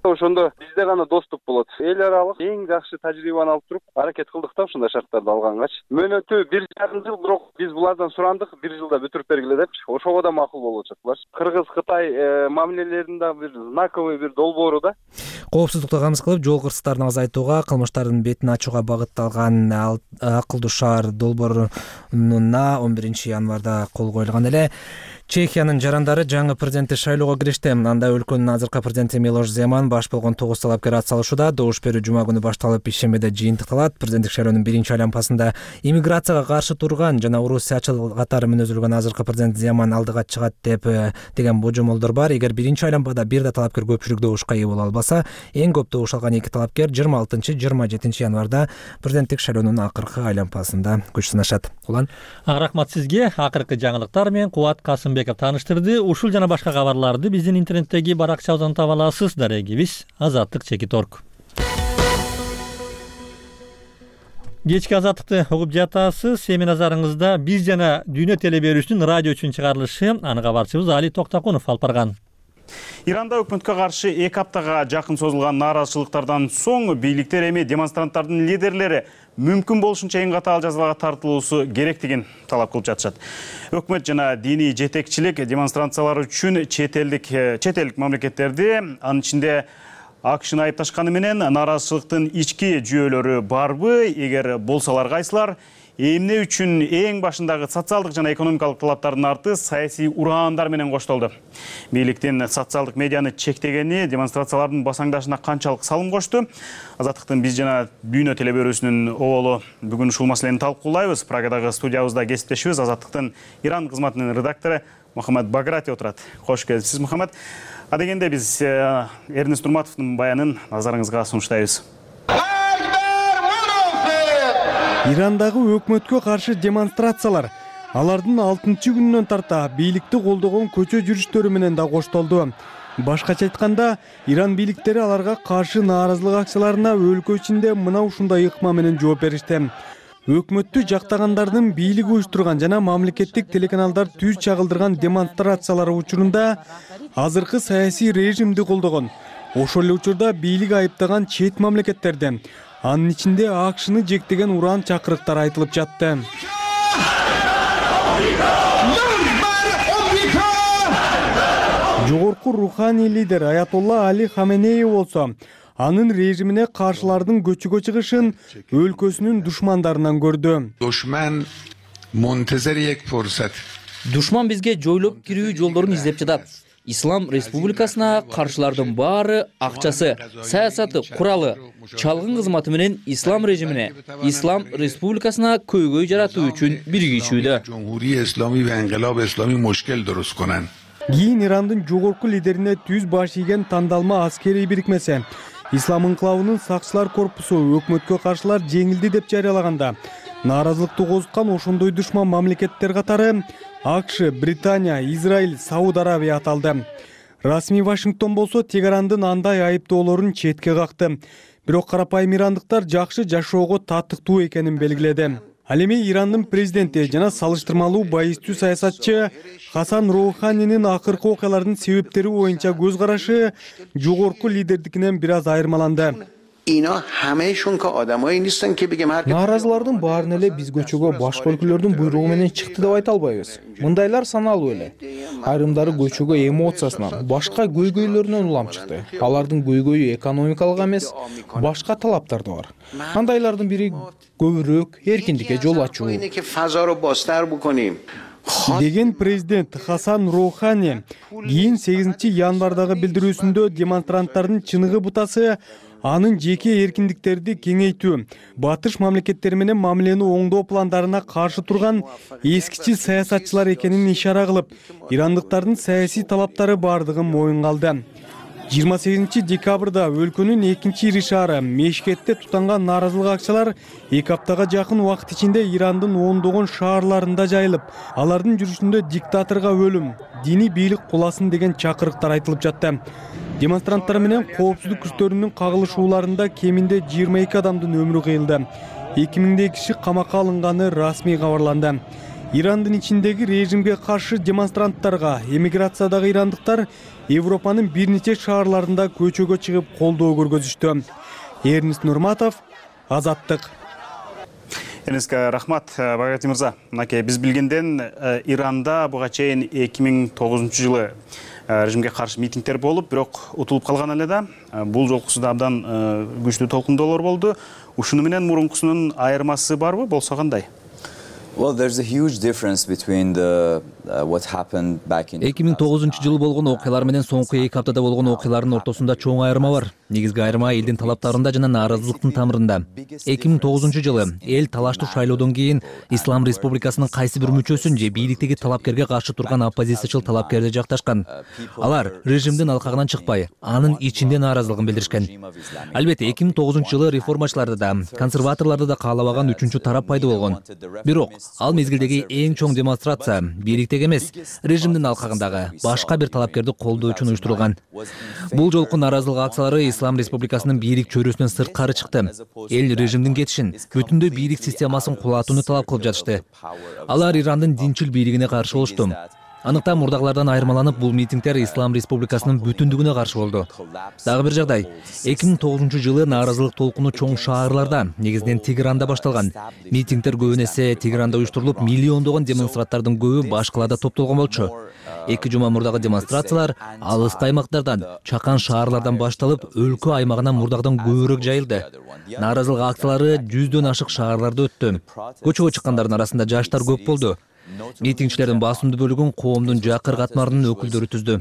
Ошондо бизде гана доступ болот. Эл аралык эң жакшы тажрыйбаны алып туруп аракет кылдык да ушундай шарттарды алгангач. Мөөнөтү 1,5 жыл, бирок биз булардан сурандык 1 жылда бүтүрүп бергиле депчи. Ошого да макул болуп жатырлар. Кыргыз-Кытай мамилелеринин бир знаковый бир долбоору да. Коопсуздукту камсыз кылып, жол кырсыктарын азайтууга, кылмыштардын бетин ачууга багытталган акылдуу шаар долбооруна 11 январда кол коюлган эле. Чехиянын жарандары жаңы президентти шайлоого киришти. Анда өлкөнүн азыркы президенти Милош Земан баш болгон 9 талапкер ат салышууда. Добуш берүү жума күнү башталып, ишембиде жыйынтыкталат. Президенттик шайлоонун биринчи айланпасында иммиграцияга каршы турган жана орусиячыл катары мүнөзүлгөн азыркы президент Земан алдыга чыгат деген божомолдор бар. Эгер биринчи айланпада бир да талапкер көпчүлүк добушка ээ боло албаса, эң көп добуш алган 2 талапкер 26-27 январда президенттик шайлоонун акыркы айланпасында күч сынашат. Улан. Рахмат сизге. Акыркы жаңылыктар менен Кубат Касымбеков таныштырды. Ушул жана башка кабарларды биздин интернеттеги баракчабыздан таба аласыз. Дарегибиз Азаттык.org. Кечки Азаттыкты угуп жатасыз. Эми назарыңызда биз жана Дүйнө теле берүүсүнүн радио үчүн чыгарылышы. Аны кабарчыбыз Али Токтакунов алып барган. Иранда өкмөткө каршы 2 аптага жакын созулган нааразычылыктардан соң бийликтер эми демонстранттардын лидерлери мүмкүн болушунча эң катаал жазаларга тартылуусу керектигин талап кылып жатышат. Өкмөт жана диний жетекчилик демонстрациялар үчүн чет элдик мамлекеттерди, анын ичинде АКШны айыпташканы менен нааразычылыктын ички жүйөлөрү барбы? Эгер болсолар кайсылар? Эмне үчүн эң башындагы социалдык жана экономикалык талаптардын арты саясий ураандар менен коштолду. Бийликтин социалдык медианы чектегени демонстрациялардын басаңдашына канчалык салым кошту? Азаттыктын биз жана Дүйнө теле берүүсүнүн оболу бүгүн ушул маселени талкуулайбыз. Прагадагы студиябызда кесиптешибиз Азаттыктын Иран кызматынын редактору Мухаммад Баграти отурат. Кош келипсиз, Мухаммад. Адегенде биз Эрнест Нурматовдун баянын назарыңызга сунуштайбыз. Ирандагы өкмөткө каршы демонстрациялар алардын 6-күнүнөн тарта бийликти колдогон көчө жүрүштөрү менен да коштолду. Башкача айтканда, Иран бийликтери аларга каршы нааразылык акцияларына өлкө ичинде мына ушундай ыкма менен жооп беришти. Өкмөттү жактагандардын бийлиги уюштурган жана мамлекеттик телеканалдар түз чагылдырган демонстрациялар учурунда азыркы саясий режимди колдогон, ошол эле учурда бийлик айыптаган чет мамлекеттерди, анын ичинде АКШны жектеген уран чакырыктар айтылып жатты. Жогорку руханий лидер Аятолла Али Хаменеи болсо, анын режимине каршылардын көчүгө чыгышын өлкөсүнүн душмандарынан көрдү. Душман бизге жойлоп кирүү жолдорун издеп жатат. Ислам республикасына каршылардын баары акчасы, саясаты, куралы, чалгын кызматы менен ислам режимине, ислам республикасына көйгөй жаратуу үчүн биригишүүдө. Кийин Ирандын жогорку лидерине түз баш ийген тандалма аскерий бирикмеси Ислам инкылабынын сакчылар корпусу өкмөткө каршылар жеңилди деп жарыялаганда, нааразылыкты козуткан ошондой душман мамлекеттер катары АКШ, Британия, Израиль, Сауд Арабия аталды. Расмий Вашингтон болсо Тегерандын андай айыптоолорун четке какты. Бирок карапайым ирандыктар жакшы жашоого татыктуу экенин белгиледи. Ал эми Ирандын президенти жана салыштырмалуу байыстуу саясатчы Хасан Роуханинин акыркы окуялардын себептери боюнча көз карашы жогорку лидердикинен бир аз айырмаланды. Нааразылардын баарын эле биз көчөгө башка өлкөлөрдүн буйругу менен чыкты деп айта албайбыз. Мындайлар саналуу эле. Айрымдары көчөгө эмоциясынан, башка көйгөйлөрүнөн улам чыкты. Алардын көйгөйү экономикалык эмес, башка талаптар да бар. Андайлардын бири көбүрөөк эркиндикке жол ачуу деген президент Хасан Роухани кийин 8-январдагы билдирүүсүндө демонстранттардын чыныгы бутасы анын жеке эркиндиктерди кеңейтүү, батыш мамлекеттери менен мамилени оңдоо пландарына каршы турган эскичи саясатчылар экенин ишара кылып, ирандыктардын саясий талаптары бардыгын моюнга алды. 28 декабрда өлкөнүн экинчи ири шаары Мешкетте тутанган нааразылык акчалар 2 аптага жакын убакыт ичинде Ирандын ондогон шаарларында жайылып, алардын жүрүшүндө диктаторго өлүм, диний бийлик куласын деген чакырыктар айтылып жатты. Демонстранттар менен коопсуздук күчтөрүнүн кагылышууларында кеминде 22 адамдын өмүрү кыйылды. 2000 киши камакка алынганы расмий кабарланды. Ирандын ичиндеги режимге каршы демонстранттарга эмиграциядагы ирандыктар Европанын бир нече шаарларында көчөгө чыгып колдоо көргөзүштү. Эрнис Нурматов, Азаттык. Эрниске рахмат, Багати мырза. Мынакей биз билгенден Иранда буга чейин 2009 жылы режимге каршы митингдер болуп, бирок утулуп калган эле да. Бул жолкусу да абдан күчтүү толкундоолор болду. Ушуну менен мурункусунун айырмасы барбы, болсо кандай? Well, there's a huge difference between what happened back in 2009 жылы болгон окуялар менен соңку 2 аптада болгон окуялардын ортосунда чоң айырма бар. Негизги айырма элдин талаптарында жана нааразылыктын тамырында. 2009 жылы эл талаштуу шайлоодон кийин Ислам Республикасынын кайсы бир мүчөсүн же бийликтеги талапкерге каршы турган оппозициячыл талапкерди жакташкан. Алар режимдин алкагынан чыкпай, анын ичинде нааразылыгын билдиришкен. Албетте 2009 жылы реформачыларды да, консерваторлорду да каалабаган үчүнчү тарап пайда болгон. Бирок ал мезгилдеги эң чоң демонстрация бийликтеги эмес, режимдин алкагындагы башка бир талапкерди колдоо үчүн уюштурулган. Бул жолку нааразылык акциялары Ислам Республикасынын бийлик чөйрөсүнөн сырткары чыкты. Эл режимдин кетишин, бүтүндөй бийлик системасын кулатууну талап кылып жатышты. Алар Ирандын динчил бийлигине каршы болушту. Аныктан мурдагылардан айырмаланып, бул митингдер Ислам Республикасынын бүтүндүгүнө каршы болду. Дагы бир жагдай, 2009 жылы нааразылык толкуну чоң шаарларда, негизинен Тегеранда башталган. Митингдер көбүн эсе Тегеранда уюштурулуп, миллиондогон демонстранттардын көбү башкаларда топтолгон болчу. 2 жума мурдагы демонстрациялар алыскы аймактардан, чакан шаарлардан башталып, өлкө аймагына мурдагыдан көбүрөөк жайылды. Нааразылык акциялары 100дөн ашык шаарларда өттү. Көчөгө чыккандардын арасында жаштар көп болду. Митингчилердин басымдуу бөлүгүн коомдун жакыр катмарынын өкүлдөрү түздү.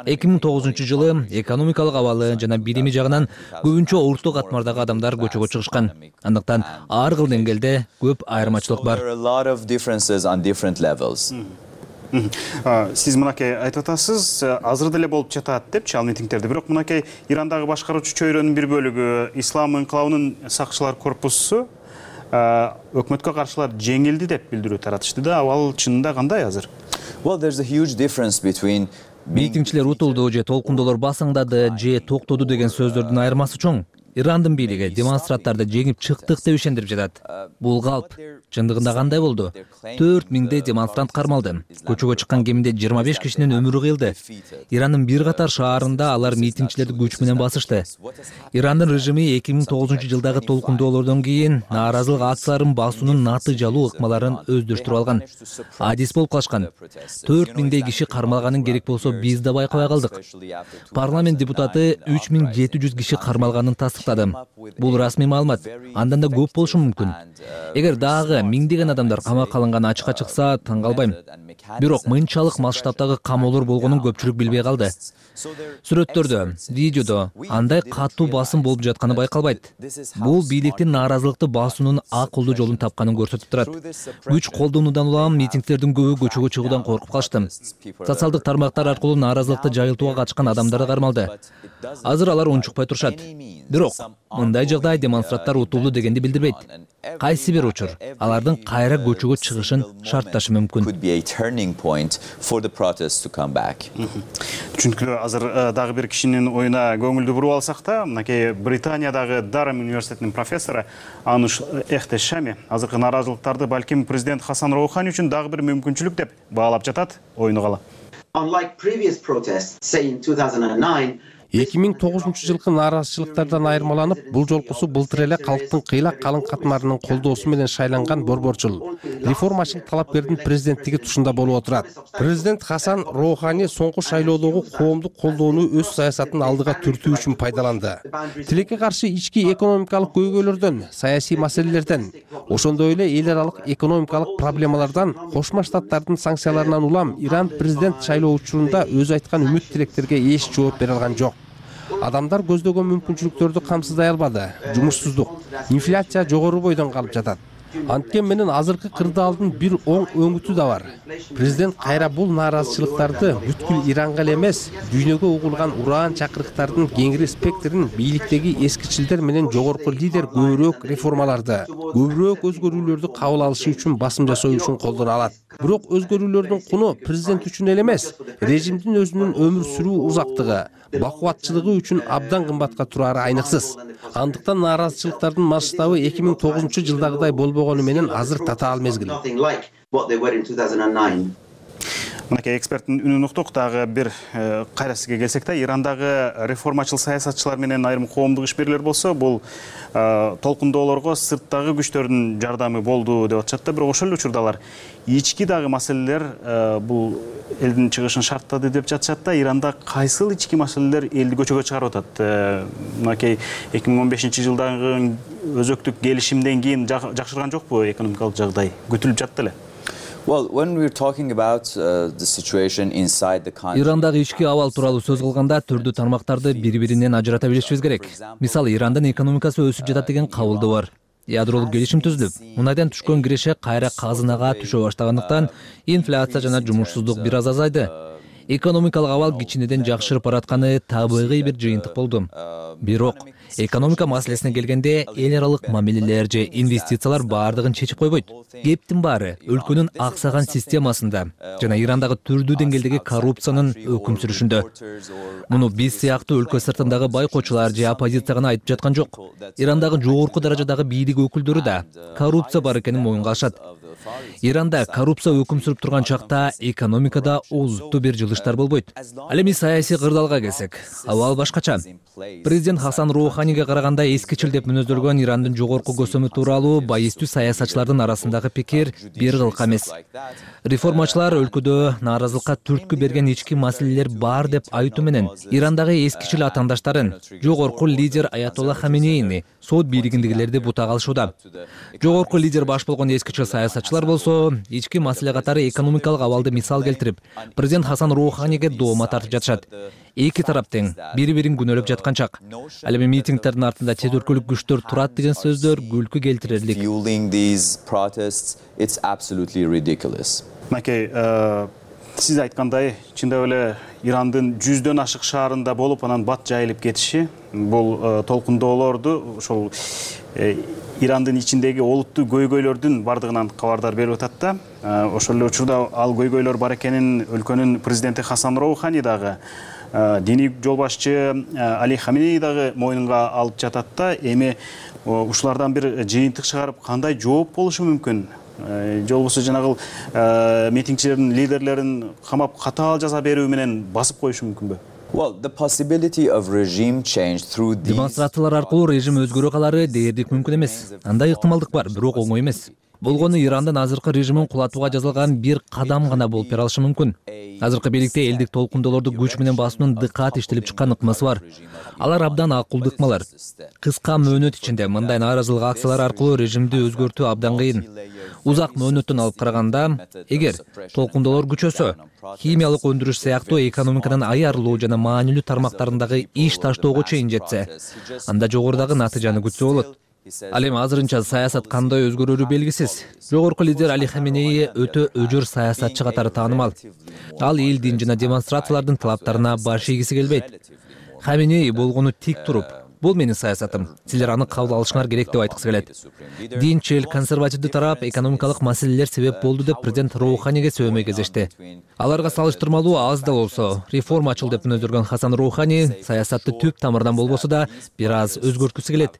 2009 жылы экономикалык абалы жана билими жагынан көбүнчө орто катмардагы адамдар көчөгө чыгышкан. Андыктан ар кыл деңгээлде көп айырмачылык бар. Сиз мынакей айтып атасыз, азыр деле болуп жатат депчи ал митингдерди. Бирок мынакей Ирандагы башкаруучу чөйрөнүн бир бөлүгү, Ислам инкылабынын сакчылар корпусу өкмөткө каршылар жеңилди деп билдирүү таратышты да. Ал чынында кандай азыр? Well, there's a huge difference between митингчилер утулду же толкундоолор басаңдады же токтоду деген сөздөрдүн айырмасы чоң. Ирандын бийлиги демонстранттарды жеңип чыктык деп ишендирип жатат. Бул калп. Чындыгында кандай болду? 4000 демонстрант кармалды. Көчөгө чыккан кеминде 25 кишинин өмүрү кыйылды. Ирандын бир катар шаарында алар митингчилерди күч менен басышты. Ирандын режими 2009 жылдагы толкундоолордон кийин нааразылык акцияларын басуунун натыйжалуу ыкмаларын өздөштүрүп алган. Адис болуп калышкан. 4000 киши кармалганын керек болсо биз да байкабай калдык. Парламент депутаты 3700 киши кармалганын тастыктады. Бул расмий маалымат. Андан да көп болушу мүмкүн. Эгер дагы миңдеген адамдар камакка алынганы ачыкка чыкса, таң калбайм. Бирок мынчалык масштабтагы камоолор болгонун көпчүлүк билбей калды. Сүрөттөрдө, видеодо андай катуу басым болуп жатканы байкалбайт. Бул бийликтин нааразылыкты басуунун акылдуу жолун тапканын көрсөтүп турат. Күч колдонуудан улам митингдердин көбү көчөгө чыгуудан коркуп калышты. Социалдык тармактар аркылуу нааразылыкты жайылтууга катышкан адамдар кармалды. Азыр алар унчукпай турушат. Бирок мындай жагдай демонстранттар утулду дегенди билдирбейт. Кайсы бир учур алардын кайра көчөгө чыгышын шартташы мүмкүн. Түшүнүктүү. Азыр дагы бир кишинин оюна көңүлдү буруп алсак да, мынакей Британиядагы Дарам университетинин профессору Ануш Эхтешами азыркы нааразылыктарды балким президент Хасан Роухани үчүн дагы бир мүмкүнчүлүк деп баалап жатат. Оюну кала. 2009 жылкы нааразычылыктардан айырмаланып, бул жолкусу былтыр эле калктын кыйлак калың катмарынын колдоосу менен шайланган борборчул, реформачыл талапкердин президенттиги тушунда болуп отурат. Президент Хасан Роухани соңку шайлоодогу коомдук колдоону өз саясатын алдыга түртүү үчүн пайдаланды. Тилекке каршы ички экономикалык көйгөйлөрдөн, саясий маселелерден, ошондой эле эл аралык экономикалык проблемалардан, Кошмо Штаттардын санкцияларынан улам Иран президент шайлоо учурунда өзү айткан үмүт тилектерге эч жооп бере алган жок. Адамдар көздөгөн мүмкүнчүлүктөрдү камсыздай албады. Жумушсуздук, инфляция жогору бойдон калып жатат. Анткен менен азыркы кырдаалдын бир оң өңүтү да бар. Президент кайра бул нааразычылыктарды бүткүл Иранга эле эмес, дүйнөгө угулган уран чакырыктардын кеңири спектрин бийликтеги эскичилдер менен жогорку лидер көбүрөөк реформаларды, көбүрөөк өзгөрүүлөрдү кабыл алышы үчүн басым жасоо үчүн колдоно алат. Бирок өзгөрүүлөрдүн куну президент үчүн эле эмес, режимдин өзүнүн өмүр сүрүү узактыгы, бакубатчылыгы үчүн абдан кымбатка турары айныксыз. Андыктан нааразычылыктардын масштабы 2009 жылдагыдай болбогону менен азыр татаал мезгил. Мынакей эксперттин үнүн уктук. Дагы бир кайра сизге келсек да, Ирандагы реформачыл саясатчылар менен айрым коомдук ишберлер болсо, бул толкундоолорго сырттагы күчтөрдүн жардамы болду деп атышат да, бирок ошол эле учурда алар ички дагы маселелер бул элдин чыгышын шарттады деп жатышат да. Иранда кайсыл ички маселелер элди көчөгө чыгарып атат? Мынакей 2015 жылдагы өзөктүк келишимден кийин жакшырган жокпу экономикалык жагдай? Күтүлүп жатты эле. Well, when we're talking about the situation inside the country, Ирандагы ички абал тууралуу сөз кылганда түрдүү тармактарды бири-биринен ажырата билишибиз керек. Мисалы, Ирандын экономикасы өсүп жатат деген кабылды бар. Ядролук келишим түзүлүп, мунайдан түшкөн киреше кайра казынага түшө баштагандыктан инфляция жана жумушсуздук бир аз азайды. Экономикалык абал кичинеден жакшырып баратканы табигый бир жыйынтык болду. Бирок экономика маселесине келгенде эл аралык мамилелер же инвестициялар баардыгын чечип койбойт. Кептин баары өлкөнүн аксаган системасында жана Ирандагы түрдүү деңгээлдеги коррупциянын өкүм сүрүшүндө. Муну биз сыяктуу өлкө сыртындагы байкоочулар же оппозиция гана айтып жаткан жок. Ирандагы жогорку даражадагы бийлик өкүлдөрү да коррупция бар экенин моюнга алышат. Иранда коррупция өкүм сүрүп турган чакта экономикада олуттуу бир жылыштар болбойт. Ал эми саясий кырдаалга келсек, абал башкача. Президент Хасан Роуханиге караганда эскичил деп мүнөздөлгөн Ирандын жогорку көсөмү тууралуу байыстуу саясатчылардын арасындагы пикир бир кылка эмес. Реформачылар өлкөдө нааразылыкка түрткү берген ички маселелер бар деп айтуу менен Ирандагы эскичил атаандаштарын, жогорку лидер Аятолла Хаменейни, сот бийлигиндегилерди бутага алышууда. Жогорку лидер баш болгон эскичил саясатчылар болсо, ички маселе катары экономикалык абалды мисал келтирип, президент Хасан Роуханиге доома тартып жатышат. Эки тарап тең, бири-бирин күнөөлөп жаткан чак. Ал эми митингдердин артында чет өлкөлүк күчтөр турат деген сөздөр күлкү келтирерлик. Мынакей, сиз айткандай, чындап эле Ирандын 100дөн ашык шаарында болуп, анан бат жайылып кетиши, бул толкундоолорду ошол Ирандын ичиндеги олуттуу көйгөйлөрдүн бардыгынан кабардар берип атат да. Ошол эле учурда ал көйгөйлөр бар экенин өлкөнүн президенти Хасан Роухани дагы, диний жол башчы Али Хаменей дагы мойнунга алып жатат да. Эми ушулардан бир жыйынтык чыгарып кандай жооп болушу мүмкүн? Же болбосо жанагы митингчилердин лидерлерин камап катаал жаза берүү менен басып коюшу мүмкүнбү? Демонстрациялар аркылуу режим өзгөрө калары дээрлик мүмкүн эмес. Андай ыктымалдык бар, бирок оңой эмес. Болгону Ирандын азыркы режимин кулатууга жазылган бир кадам гана болуп бере алышы мүмкүн. Азыркы бийликте элдик толкундоолорду күч менен басуунун дыкаат иштелип чыккан ыкмасы бар. Алар абдан акылдуу ыкмалар. Кыска мөөнөт ичинде мындай нааразылык акциялары аркылуу режимди өзгөртүү абдан кыйын. Узак мөөнөттөн алып караганда, эгер толкундоолор күчөсө, химиялык өндүрүш сыяктуу экономиканын айырылуу жана маанилүү тармактарындагы иш таштоого чейин жетсе, анда жогорудагы натыйжаны күтсө болот. Ал эми азырынча саясат кандай өзгөрөрү белгисиз. Жогорку лидер Али Хаменей өтө өжөр саясатчы катары таанымал. Ал элдин жана демонстрациялардын талаптарына баш ийгиси келбейт. Хаменей болгону тик туруп, бул менин саясатым, силер аны кабыл алышыңар керек деп айткысы келет. Динчил, консервативдүү тарап экономикалык маселелер себеп болду деп президент Роуханиге сөймөй кезешти. Аларга салыштырмалуу аз да болсо, реформачыл деп мүнөздөлгөн Хасан Роухани саясатты түп тамырдан болбосо да бир аз өзгөрткүсү келет.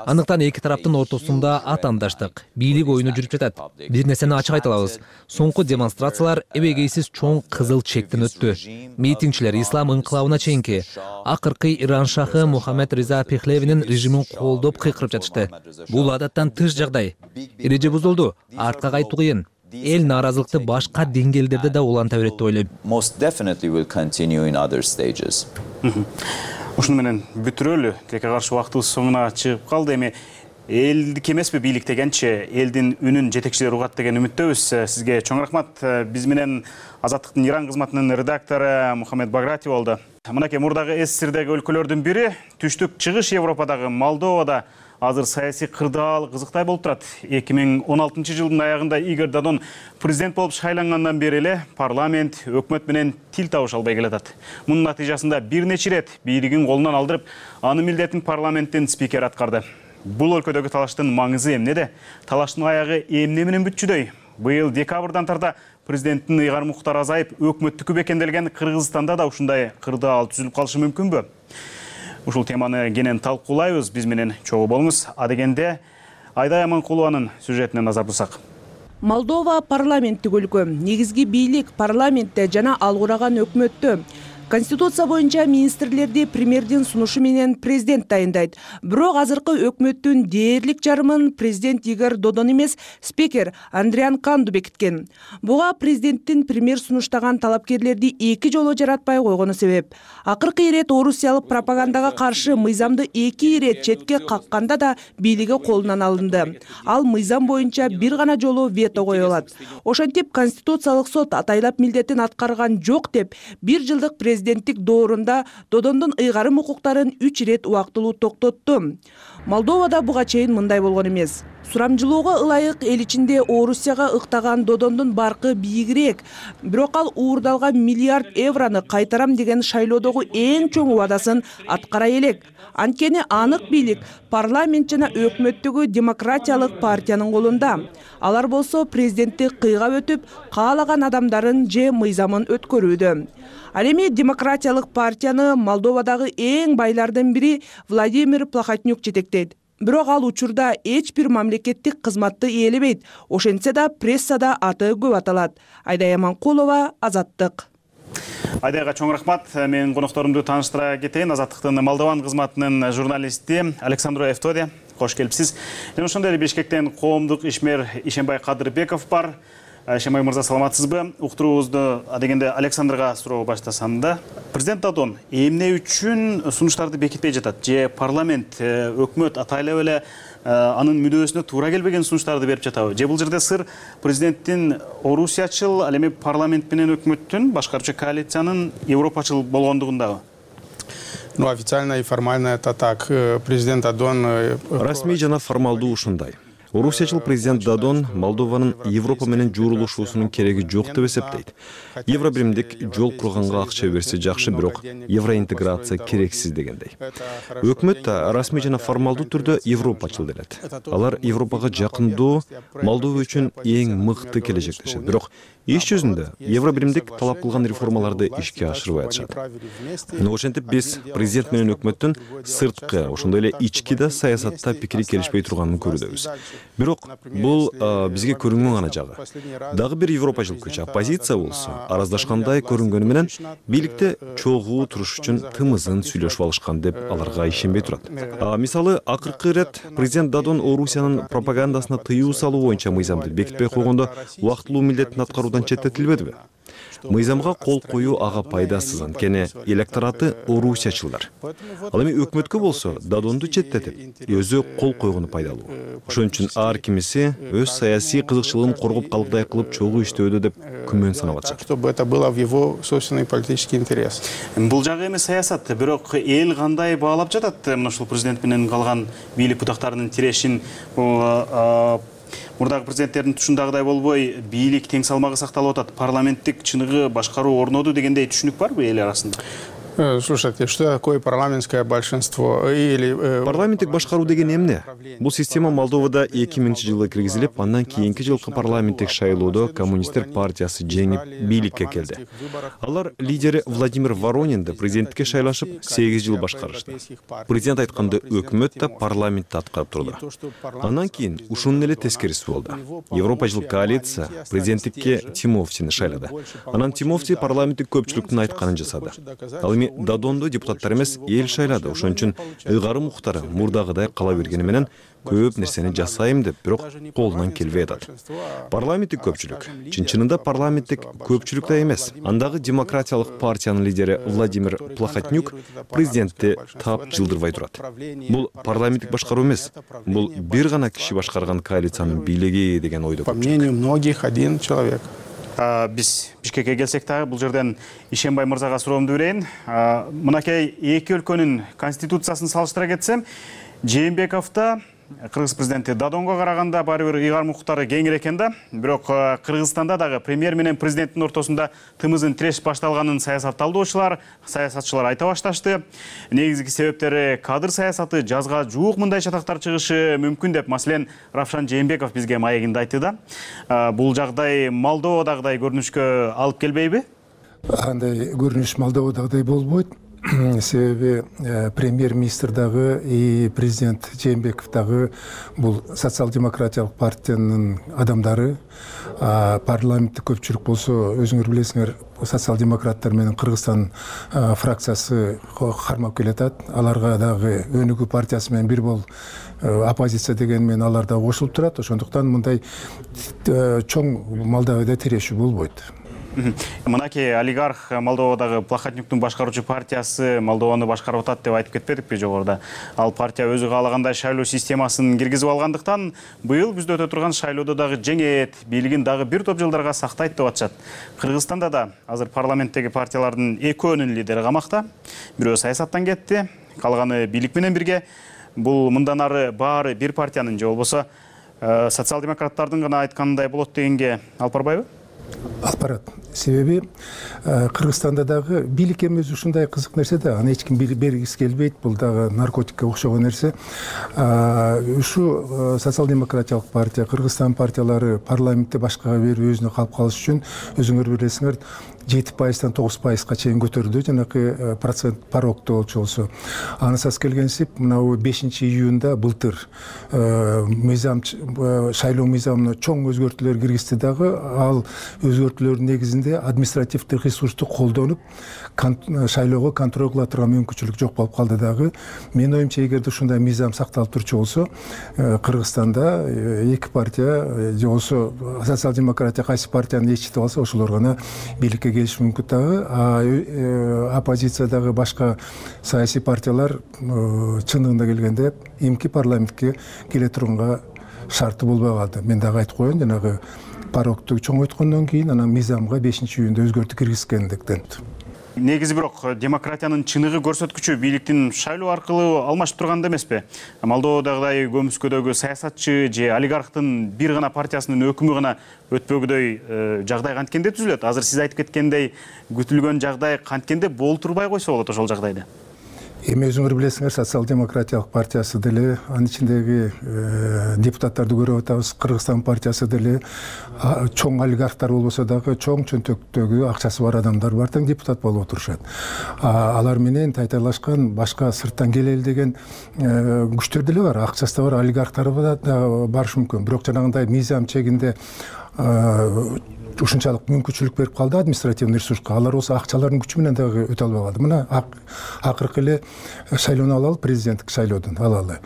Андыктан эки тараптын ортосунда атаандаштык, бийлик оюну жүрүп жатат. Бир нерсени ачык айта алабыз. Соңку демонстрациялар эбегейсиз чоң кызыл чектен өттү. Митингчилер ислам инкылабына чейинки акыркы Иран шахы Мухаммед Риза Пехлевинин режимин колдоп кыйкырып жатышты. Бул адаттан тыш жагдай. Эреже бузулду, артка кайтуу кыйын. Эл нааразылыкты башка деңгээлдерде да уланта берет деп ойлойм. Ушуну менен бүтүрөлү. Тилекке каршы убактыбыз соңуна чыгып калды. Эми элдик эмеспи бийлик дегенче, элдин үнүн жетекчилер угат деген үмүттөбүз. Сизге чоң рахмат. Биз менен Азаттыктын Иран кызматынын редактору Мухаммед Баграти болду. Мынакей мурдагы СССРдеги өлкөлөрдүн бири, түштүк чыгыш Европадагы Молдовада азыр саясий кырдаал кызыктай болуп турат. 2016 жылдын аягында Игорь Додон президент болуп шайлангандан бери эле парламент, өкмөт менен тил табыша албай келатат. Мунун натыйжасында бир нече ирет бийлигин колунан алдырып, анын милдетин парламенттин спикери аткарды. Бул өлкөдөгү талаштын маңызы эмнеде? Талаштын аягы эмне менен бүтчүдөй? Быйыл декабрдан тарта президенттин ыйгар муктары азайып, өкмөттүкү бекемделген Кыргызстанда да ушундай кырдаал түзүлүп калышы мүмкүнбү? Ушул теманы кенен талкуулайбыз. Биз менен чогуу болуңуз. Адегенде Айдай Аманкулованын сюжетине назар бурсак. Молдова парламенттик өлкө. Негизги бийлик парламентте жана ал кураган өкмөттө. Конституция боюнча министрлерди премьердин сунушу менен президент дайындайт. Бирок азыркы өкмөттүн дээрлик жарымын президент Игорь Додон эмес, спикер Андриан Канду бекиткен. Буга президенттин премьер сунуштаган талапкерлерди эки жолу жаратпай койгону себеп. Акыркы ирет орусиялык пропагандага каршы мыйзамды эки ирет четке какканда да бийлиги колунан алынды. Ал мыйзам боюнча бир гана жолу вето кое алат. Ошентип Конституциялык сот атайлап милдетин аткарган жок деп, бир жылдык президенттик доорунда Додондун ыйгарым укуктарын 3 ирет убактылуу токтотту. Молдовада буга чейин мындай болгон эмес. Сурамжылоого ылайык эл ичинде Орусияга ыктаган Додондун баркы бийигирээк. Бирок ал уурдалган миллиард еврону кайтарам деген шайлоодогу эң чоң убадасын аткара элек. Анткени анык бийлик парламент жана өкмөттөгү демократиялык партиянын колунда. Алар болсо президентти кыйгап өтүп, каалаган адамдарын же мыйзамын өткөрүүдө. Ал эми демократиялык партияны Молдовадагы эң байлардын бири Владимир Плохотнюк жетектейт. Бирок ал учурда эч бир мамлекеттик кызматты ээлебейт. Ошентсе да прессада аты көп аталат. Айдай Аманкулова, Азаттык. Айдайга чоң рахмат. Мен конокторумду тааныштыра кетейин. Азаттыктын Молдован кызматынын журналисти Александро Эфтоди. Кош келипсиз. Жана ошондой эле Бишкектен коомдук ишмер Ишенбай Кадырбеков бар. Ишенбай мырза, саламатсызбы? Уктуруубузду адегенде Александрга суроо баштасам да. Президент Додон эмне үчүн сунуштарды бекитпей жатат? Же парламент, өкмөт атайлап эле анын мүдөөсүнө туура келбеген сунуштарды берип жатабы? Же бул жерде сыр президенттин орусиячыл, ал эми парламент менен өкмөттүн башкаруучу коалициянын европачыл болгондугундабы? Ну, официально и формально это так. Президент Додон... Расмий жана формалдуу ушундай. Орусиячыл президент Додон Молдованын Европа менен жуурулушуусунун кереги жок деп эсептейт. Евробиримдик жол курганга акча берсе жакшы, бирок евроинтеграция керексиз дегендей. Өкмөт да расмий жана формалдуу түрдө европачыл делет. Алар Европага жакындоо Молдова үчүн эң мыкты келечектешет. Бирок иш жүзүндө евробиримдик талап кылган реформаларды ишке ашырбай атышат. Ошентип биз президент менен өкмөттүн сырткы, ошондой эле ички да саясатта пикири келишпей турганын көрүүбүз. Бирок бул бизге көрүнгөн гана жагы. Дагы бир европачыл күч оппозиция болсо араздашкандай көрүнгөнү менен бийликте чогуу туруш үчүн тымызын сүйлөшүп алышкан деп аларга ишенбей турат. Мисалы, акыркы ирет президент Додон Орусиянын пропагандасына тыюу салуу боюнча мыйзамды бекитпей койгондо убактылуу милдетин аткаруудан четтетилбедиби? Мыйзамга кол коюу ага пайдасыз, анткени электораты орусиячылдар. Ал эми өкмөткө болсо Додонду четтетип, өзү кол койгону пайдалуу. Ошон үчүн ар кимиси өз саясий кызыкчылыгын коргоп калгыдай кылып чогуу иштөөдө деп күмөн санап атышат. Чтобы это было в его собственный политический интерес. Бул жагы эми саясат, бирок эл кандай баалап жатат мына ушул президент менен калган бийлик бутактарынын тирешин? Мурдагы президенттердин тушундагыдай болбой, бийлик тең салмагы сакталып атат, парламенттик чыныгы башкаруу орноду дегендей түшүнүк барбы эл арасында? Слушайте, что такое парламентское большинство? Парламенттик башкаруу деген эмне? Бул система Молдовада 2000-жылы киргизилип, андан кийинки жылкы парламенттик шайлоодо коммунисттер партиясы жеңип бийликке келди. Алар лидери Владимир Воронинди президенттикке шайлашып 8 жыл башкарышты. Президент айтканды өкмөт да парламент да аткарып турду. Андан кийин ушунун эле тескериси болду. Европа жыл коалиция президенттикке Тимофтини шайлады. Анан Тимофти парламенттик көпчүлүктүн айтканын жасады. Ал эми Дадонду депутаттар эмес, эл шайлады. Ошон үчүн ыйгарым муктары мурдагыдай кала бергени менен көп нерсени жасайм деп, бирок колунан келбей атат. Парламенттик көпчүлүк чын-чынында парламенттик көпчүлүк да эмес. Андагы демократиялык партиянын лидери Владимир Плохотнюк президентти тап жылдырбай турат. Бул парламенттик башкаруу эмес, бул бир гана киши башкарган коалициянын бийлиги деген ойдо. По мнению многих, один человек. Биз Бишкекке келсек дагы бул жерден Ишенбай мырзага суроомду берейин. Мынакей эки өлкөнүн конституциясын салыштыра кетсем, Жээнбековдо Кыргыз президенти Дадонго караганда баары бир ыйгарым укуктары кеңири экен да. Бирок Кыргызстанда дагы премьер менен президенттин ортосунда тымызын тиреш башталганын саясатчылар айта башташты. Негизги себептери кадр саясаты, жазга жуук мындай чатактар чыгышы мүмкүн деп, маселен, Равшан Жээнбеков бизге маегинде айтты да. Бул жагдай Молдовадагыдай көрүнүшкө алып келбейби? Андай көрүнүш Молдовадагыдай болбойт. Себеби премьер-министр дагы и президент Жээнбеков дагы бул социал-демократиялык партиянын адамдары. Парламенттик көпчүлүк болсо, өзүңөр билесиңер, социал-демократтар менен Кыргызстан фракциясы кармап келатат. Аларга дагы өнүгүү партиясы менен бир бол оппозиция деген менен алар да кошулуп турат. Ошондуктан мындай чоң Молдовада тирешүү болбойт. Мынакей олигарх Молдовадагы Плохотнюктун башкаруучу партиясы Молдованы башкарып атат деп айтып кетпедикпи жогоруда? Ал партия өзү каалагандай шайлоо системасын киргизип алгандыктан быйыл күздө өтө турган шайлоодо дагы жеңет, бийлигин дагы бир топ жылдарга сактайт деп атышат. Кыргызстанда да азыр парламенттеги партиялардын экөөнүн лидери камакта. Бирөө саясаттан кетти, калганы бийлик менен бирге. Бул мындан ары баары бир партиянын же болбосо социал-демократтардын гана айтканындай болот дегенге алып барбайбы? Алып барат. Себеби Кыргызстанда дагы бийлик эмес ушундай кызык нерсе да, аны эч ким бергиси келбейт. Бул дагы наркотикке окшогон нерсе. Ушу социал-демократиялык партия, Кыргызстан партиялары парламентте башкага берип өзүнө калып калыш үчүн, өзүңөр билесиңер, 7%-тан 9%-га чейин көтөрдү, жанакы процент порогду болчу болсо. Анысас келгенсип, мына 5-июнда былтыр шайлоо мыйзамына чоң өзгөртүүлөр киргизди дагы. Ал өзгөртүүлөрдүн негизинде административдик ресурсту колдонуп, шайлоого контроль кыла турган мүмкүнчүлүк жок болуп калды дагы. Менин оюмча, эгерде ушундай мыйзам сакталып турчу болсо, Кыргызстанда эки партия же болсо социал-демократия кайсы партияны ээрчитип алса, ошолор гана бийликке келиш мүмкүн дагы. Оппозициядагы башка саясий партиялар чындыгында келгенде эмки парламентке келе турганга шарты болбой калды. Мен дагы айтып коеюн, жанагы порогду чоңойткондон кийин анан мыйзамга 5-июнда өзгөртүү киргизгендиктен. Негизи бирок демократиянын чыныгы көрсөткүчү бийликтин шайлоо аркылуу алмашып турганда эмеспи? Молдовадагыдай көмүскөдөгү саясатчы же олигархтын бир гана партиясынын өкүмү гана өтпөгүдөй жагдай канткенде түзүлөт. Азыр сиз айтып кеткендей күтүлгөн жагдай канткенде болтурбай койсо болот ошол жагдайда. Эми өзүңөр билесиңер, социал-демократиялык партиясы деле, анын ичиндеги депутаттарды көрүп атабыз. Кыргызстан партиясы деле чоң олигархтар болбосо дагы чоң чөнтөктөгү акчасы бар адамдар бар, тең депутат болуп отурушат. Алар менен тайтайлашкан башка сырттан келели деген күчтөр деле бар, акчасы да бар, олигархтар да барышы мүмкүн. Бирок жанагындай мыйзам чегинде ушунчалык мүмкүнчүлүк берип калды административный ресурска. Алар болсо акчалардын күчү менен дагы өтө албай калды. Мына акыркы эле шайлоону алалы, президенттик шайлоодон алалы.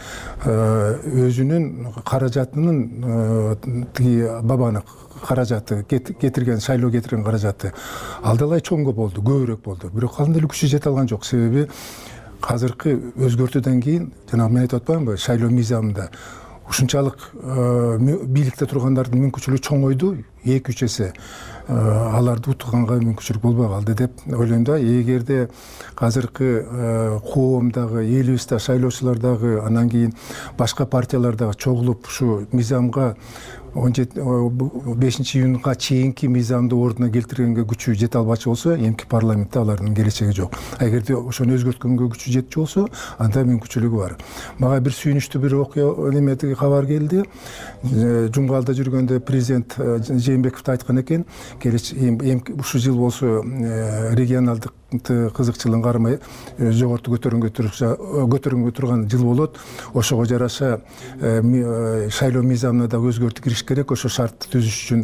Өзүнүн каражатынын тиги бабаны каражаты кетирген, шайлоо кетирген каражаты алдалай чоңго болду, көбүрөөк болду. Бирок ал деле күчү жете алган жок. Себеби азыркы өзгөртүүдөн кийин, жанагы мен айтып атпаймынбы, шайлоо мыйзамында ушунчалык бийликте тургандардын мүмкүнчүлүгү чоңойду, 2-3 эсе. Аларды утганга мүмкүнчүлүк болбой калды деп ойлойм да. Эгерде азыркы коомдагы, элибизде шайлоочулар дагы, анан кийин башка партиялар дагы чогулуп ушу мыйзамга июнга чейинки мыйзамды ордуна келтиргенге күчү жете албачу болсо эмки парламентте алардын келечеги жок. Эгерде ошону өзгөрткөнгө күчү жетчү болсо анда мүмкүнчүлүгү бар. Мага бир сүйүнүчтүү бир окуя неметиги кабар келди. Жумгалда жүргөндө президент Жээнбеков айткан экен, ушул жыл болсо регионалдык кызыкчылыгын кармай жогору көтөрүнгө турган жыл болот. Ошого жараша шайлоо мыйзамына да өзгөртүү кириш керек. Ошо шартты түзүш үчүн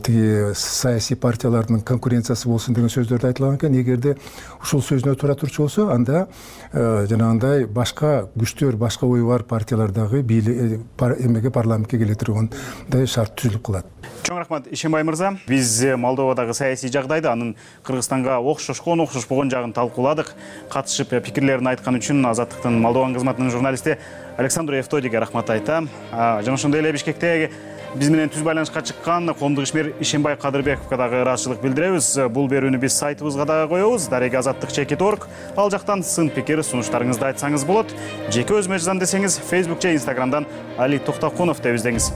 тиги саясий партиялардын конкуренциясы болсун деген сөздөрдү айтылган экен. Эгерде ушул сөзүнө туура турчу болсо, анда жанагындай башка күчтөр, башка ою бар партиялар дагы эмеге парламентке келе тургандай шарт түзүлүп калат. Чоң рахмат Ишенбай мырза. Биз Молдовадагы саясий жагдайды, анын Кыргызстанга окшошпогон жагын талкууладык. Катышып пикирлерин айткан үчүн Азаттыктын Молдован кызматынын журналисти Александру Евтодиге рахмат айтам. Жана ошондой эле Бишкектеги биз менен түз байланышка чыккан коомдук ишмер Ишенбай Кадырбековго дагы ыраазычылык билдиребиз. Бул берүүнү биз сайтыбызга дагы коебуз, darega-azаттыk.org. Ал жактан сын пикир, сунуштарыңызды айтсаңыз болот. Жеке өзүмө жазам десеңиз Facebook же Instagramдан Али Токтокунов деп издеңиз.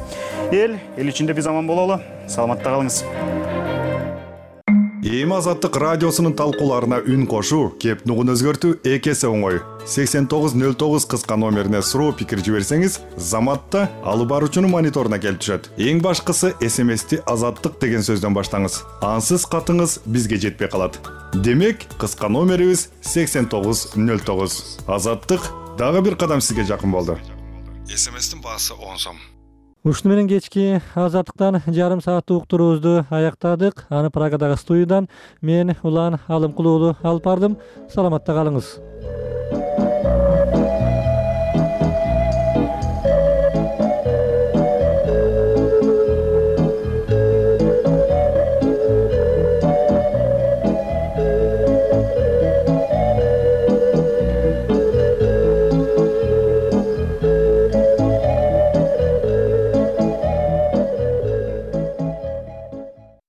Эл ичинде биз аман бололу. Саламатта калыңыз. Эми Азаттык радиосунун талкууларына үн кошуу, кеп нугун өзгөртүү эки эсе оңой. 8909 кыска номерине суроо пикир жиберсеңиз, Заматта алып баруучунун мониторуна келип түшөт. Эң башкысы SMS-ти Азаттык деген сөздөн баштаңыз. Ансыз катыңыз бизге жетпей калат. Демек, кыска номерибиз 8909. Азаттык дагы бир кадам сизге жакын болду. SMS-тин баасы 10 сом. Ушуну менен кечки Азаттыктан жарым сааттык уктуруубузду аяктадык. Аны Прагадагы студиядан мен Улан Алымкулуулу алып бардым. Саламатта калыңыз.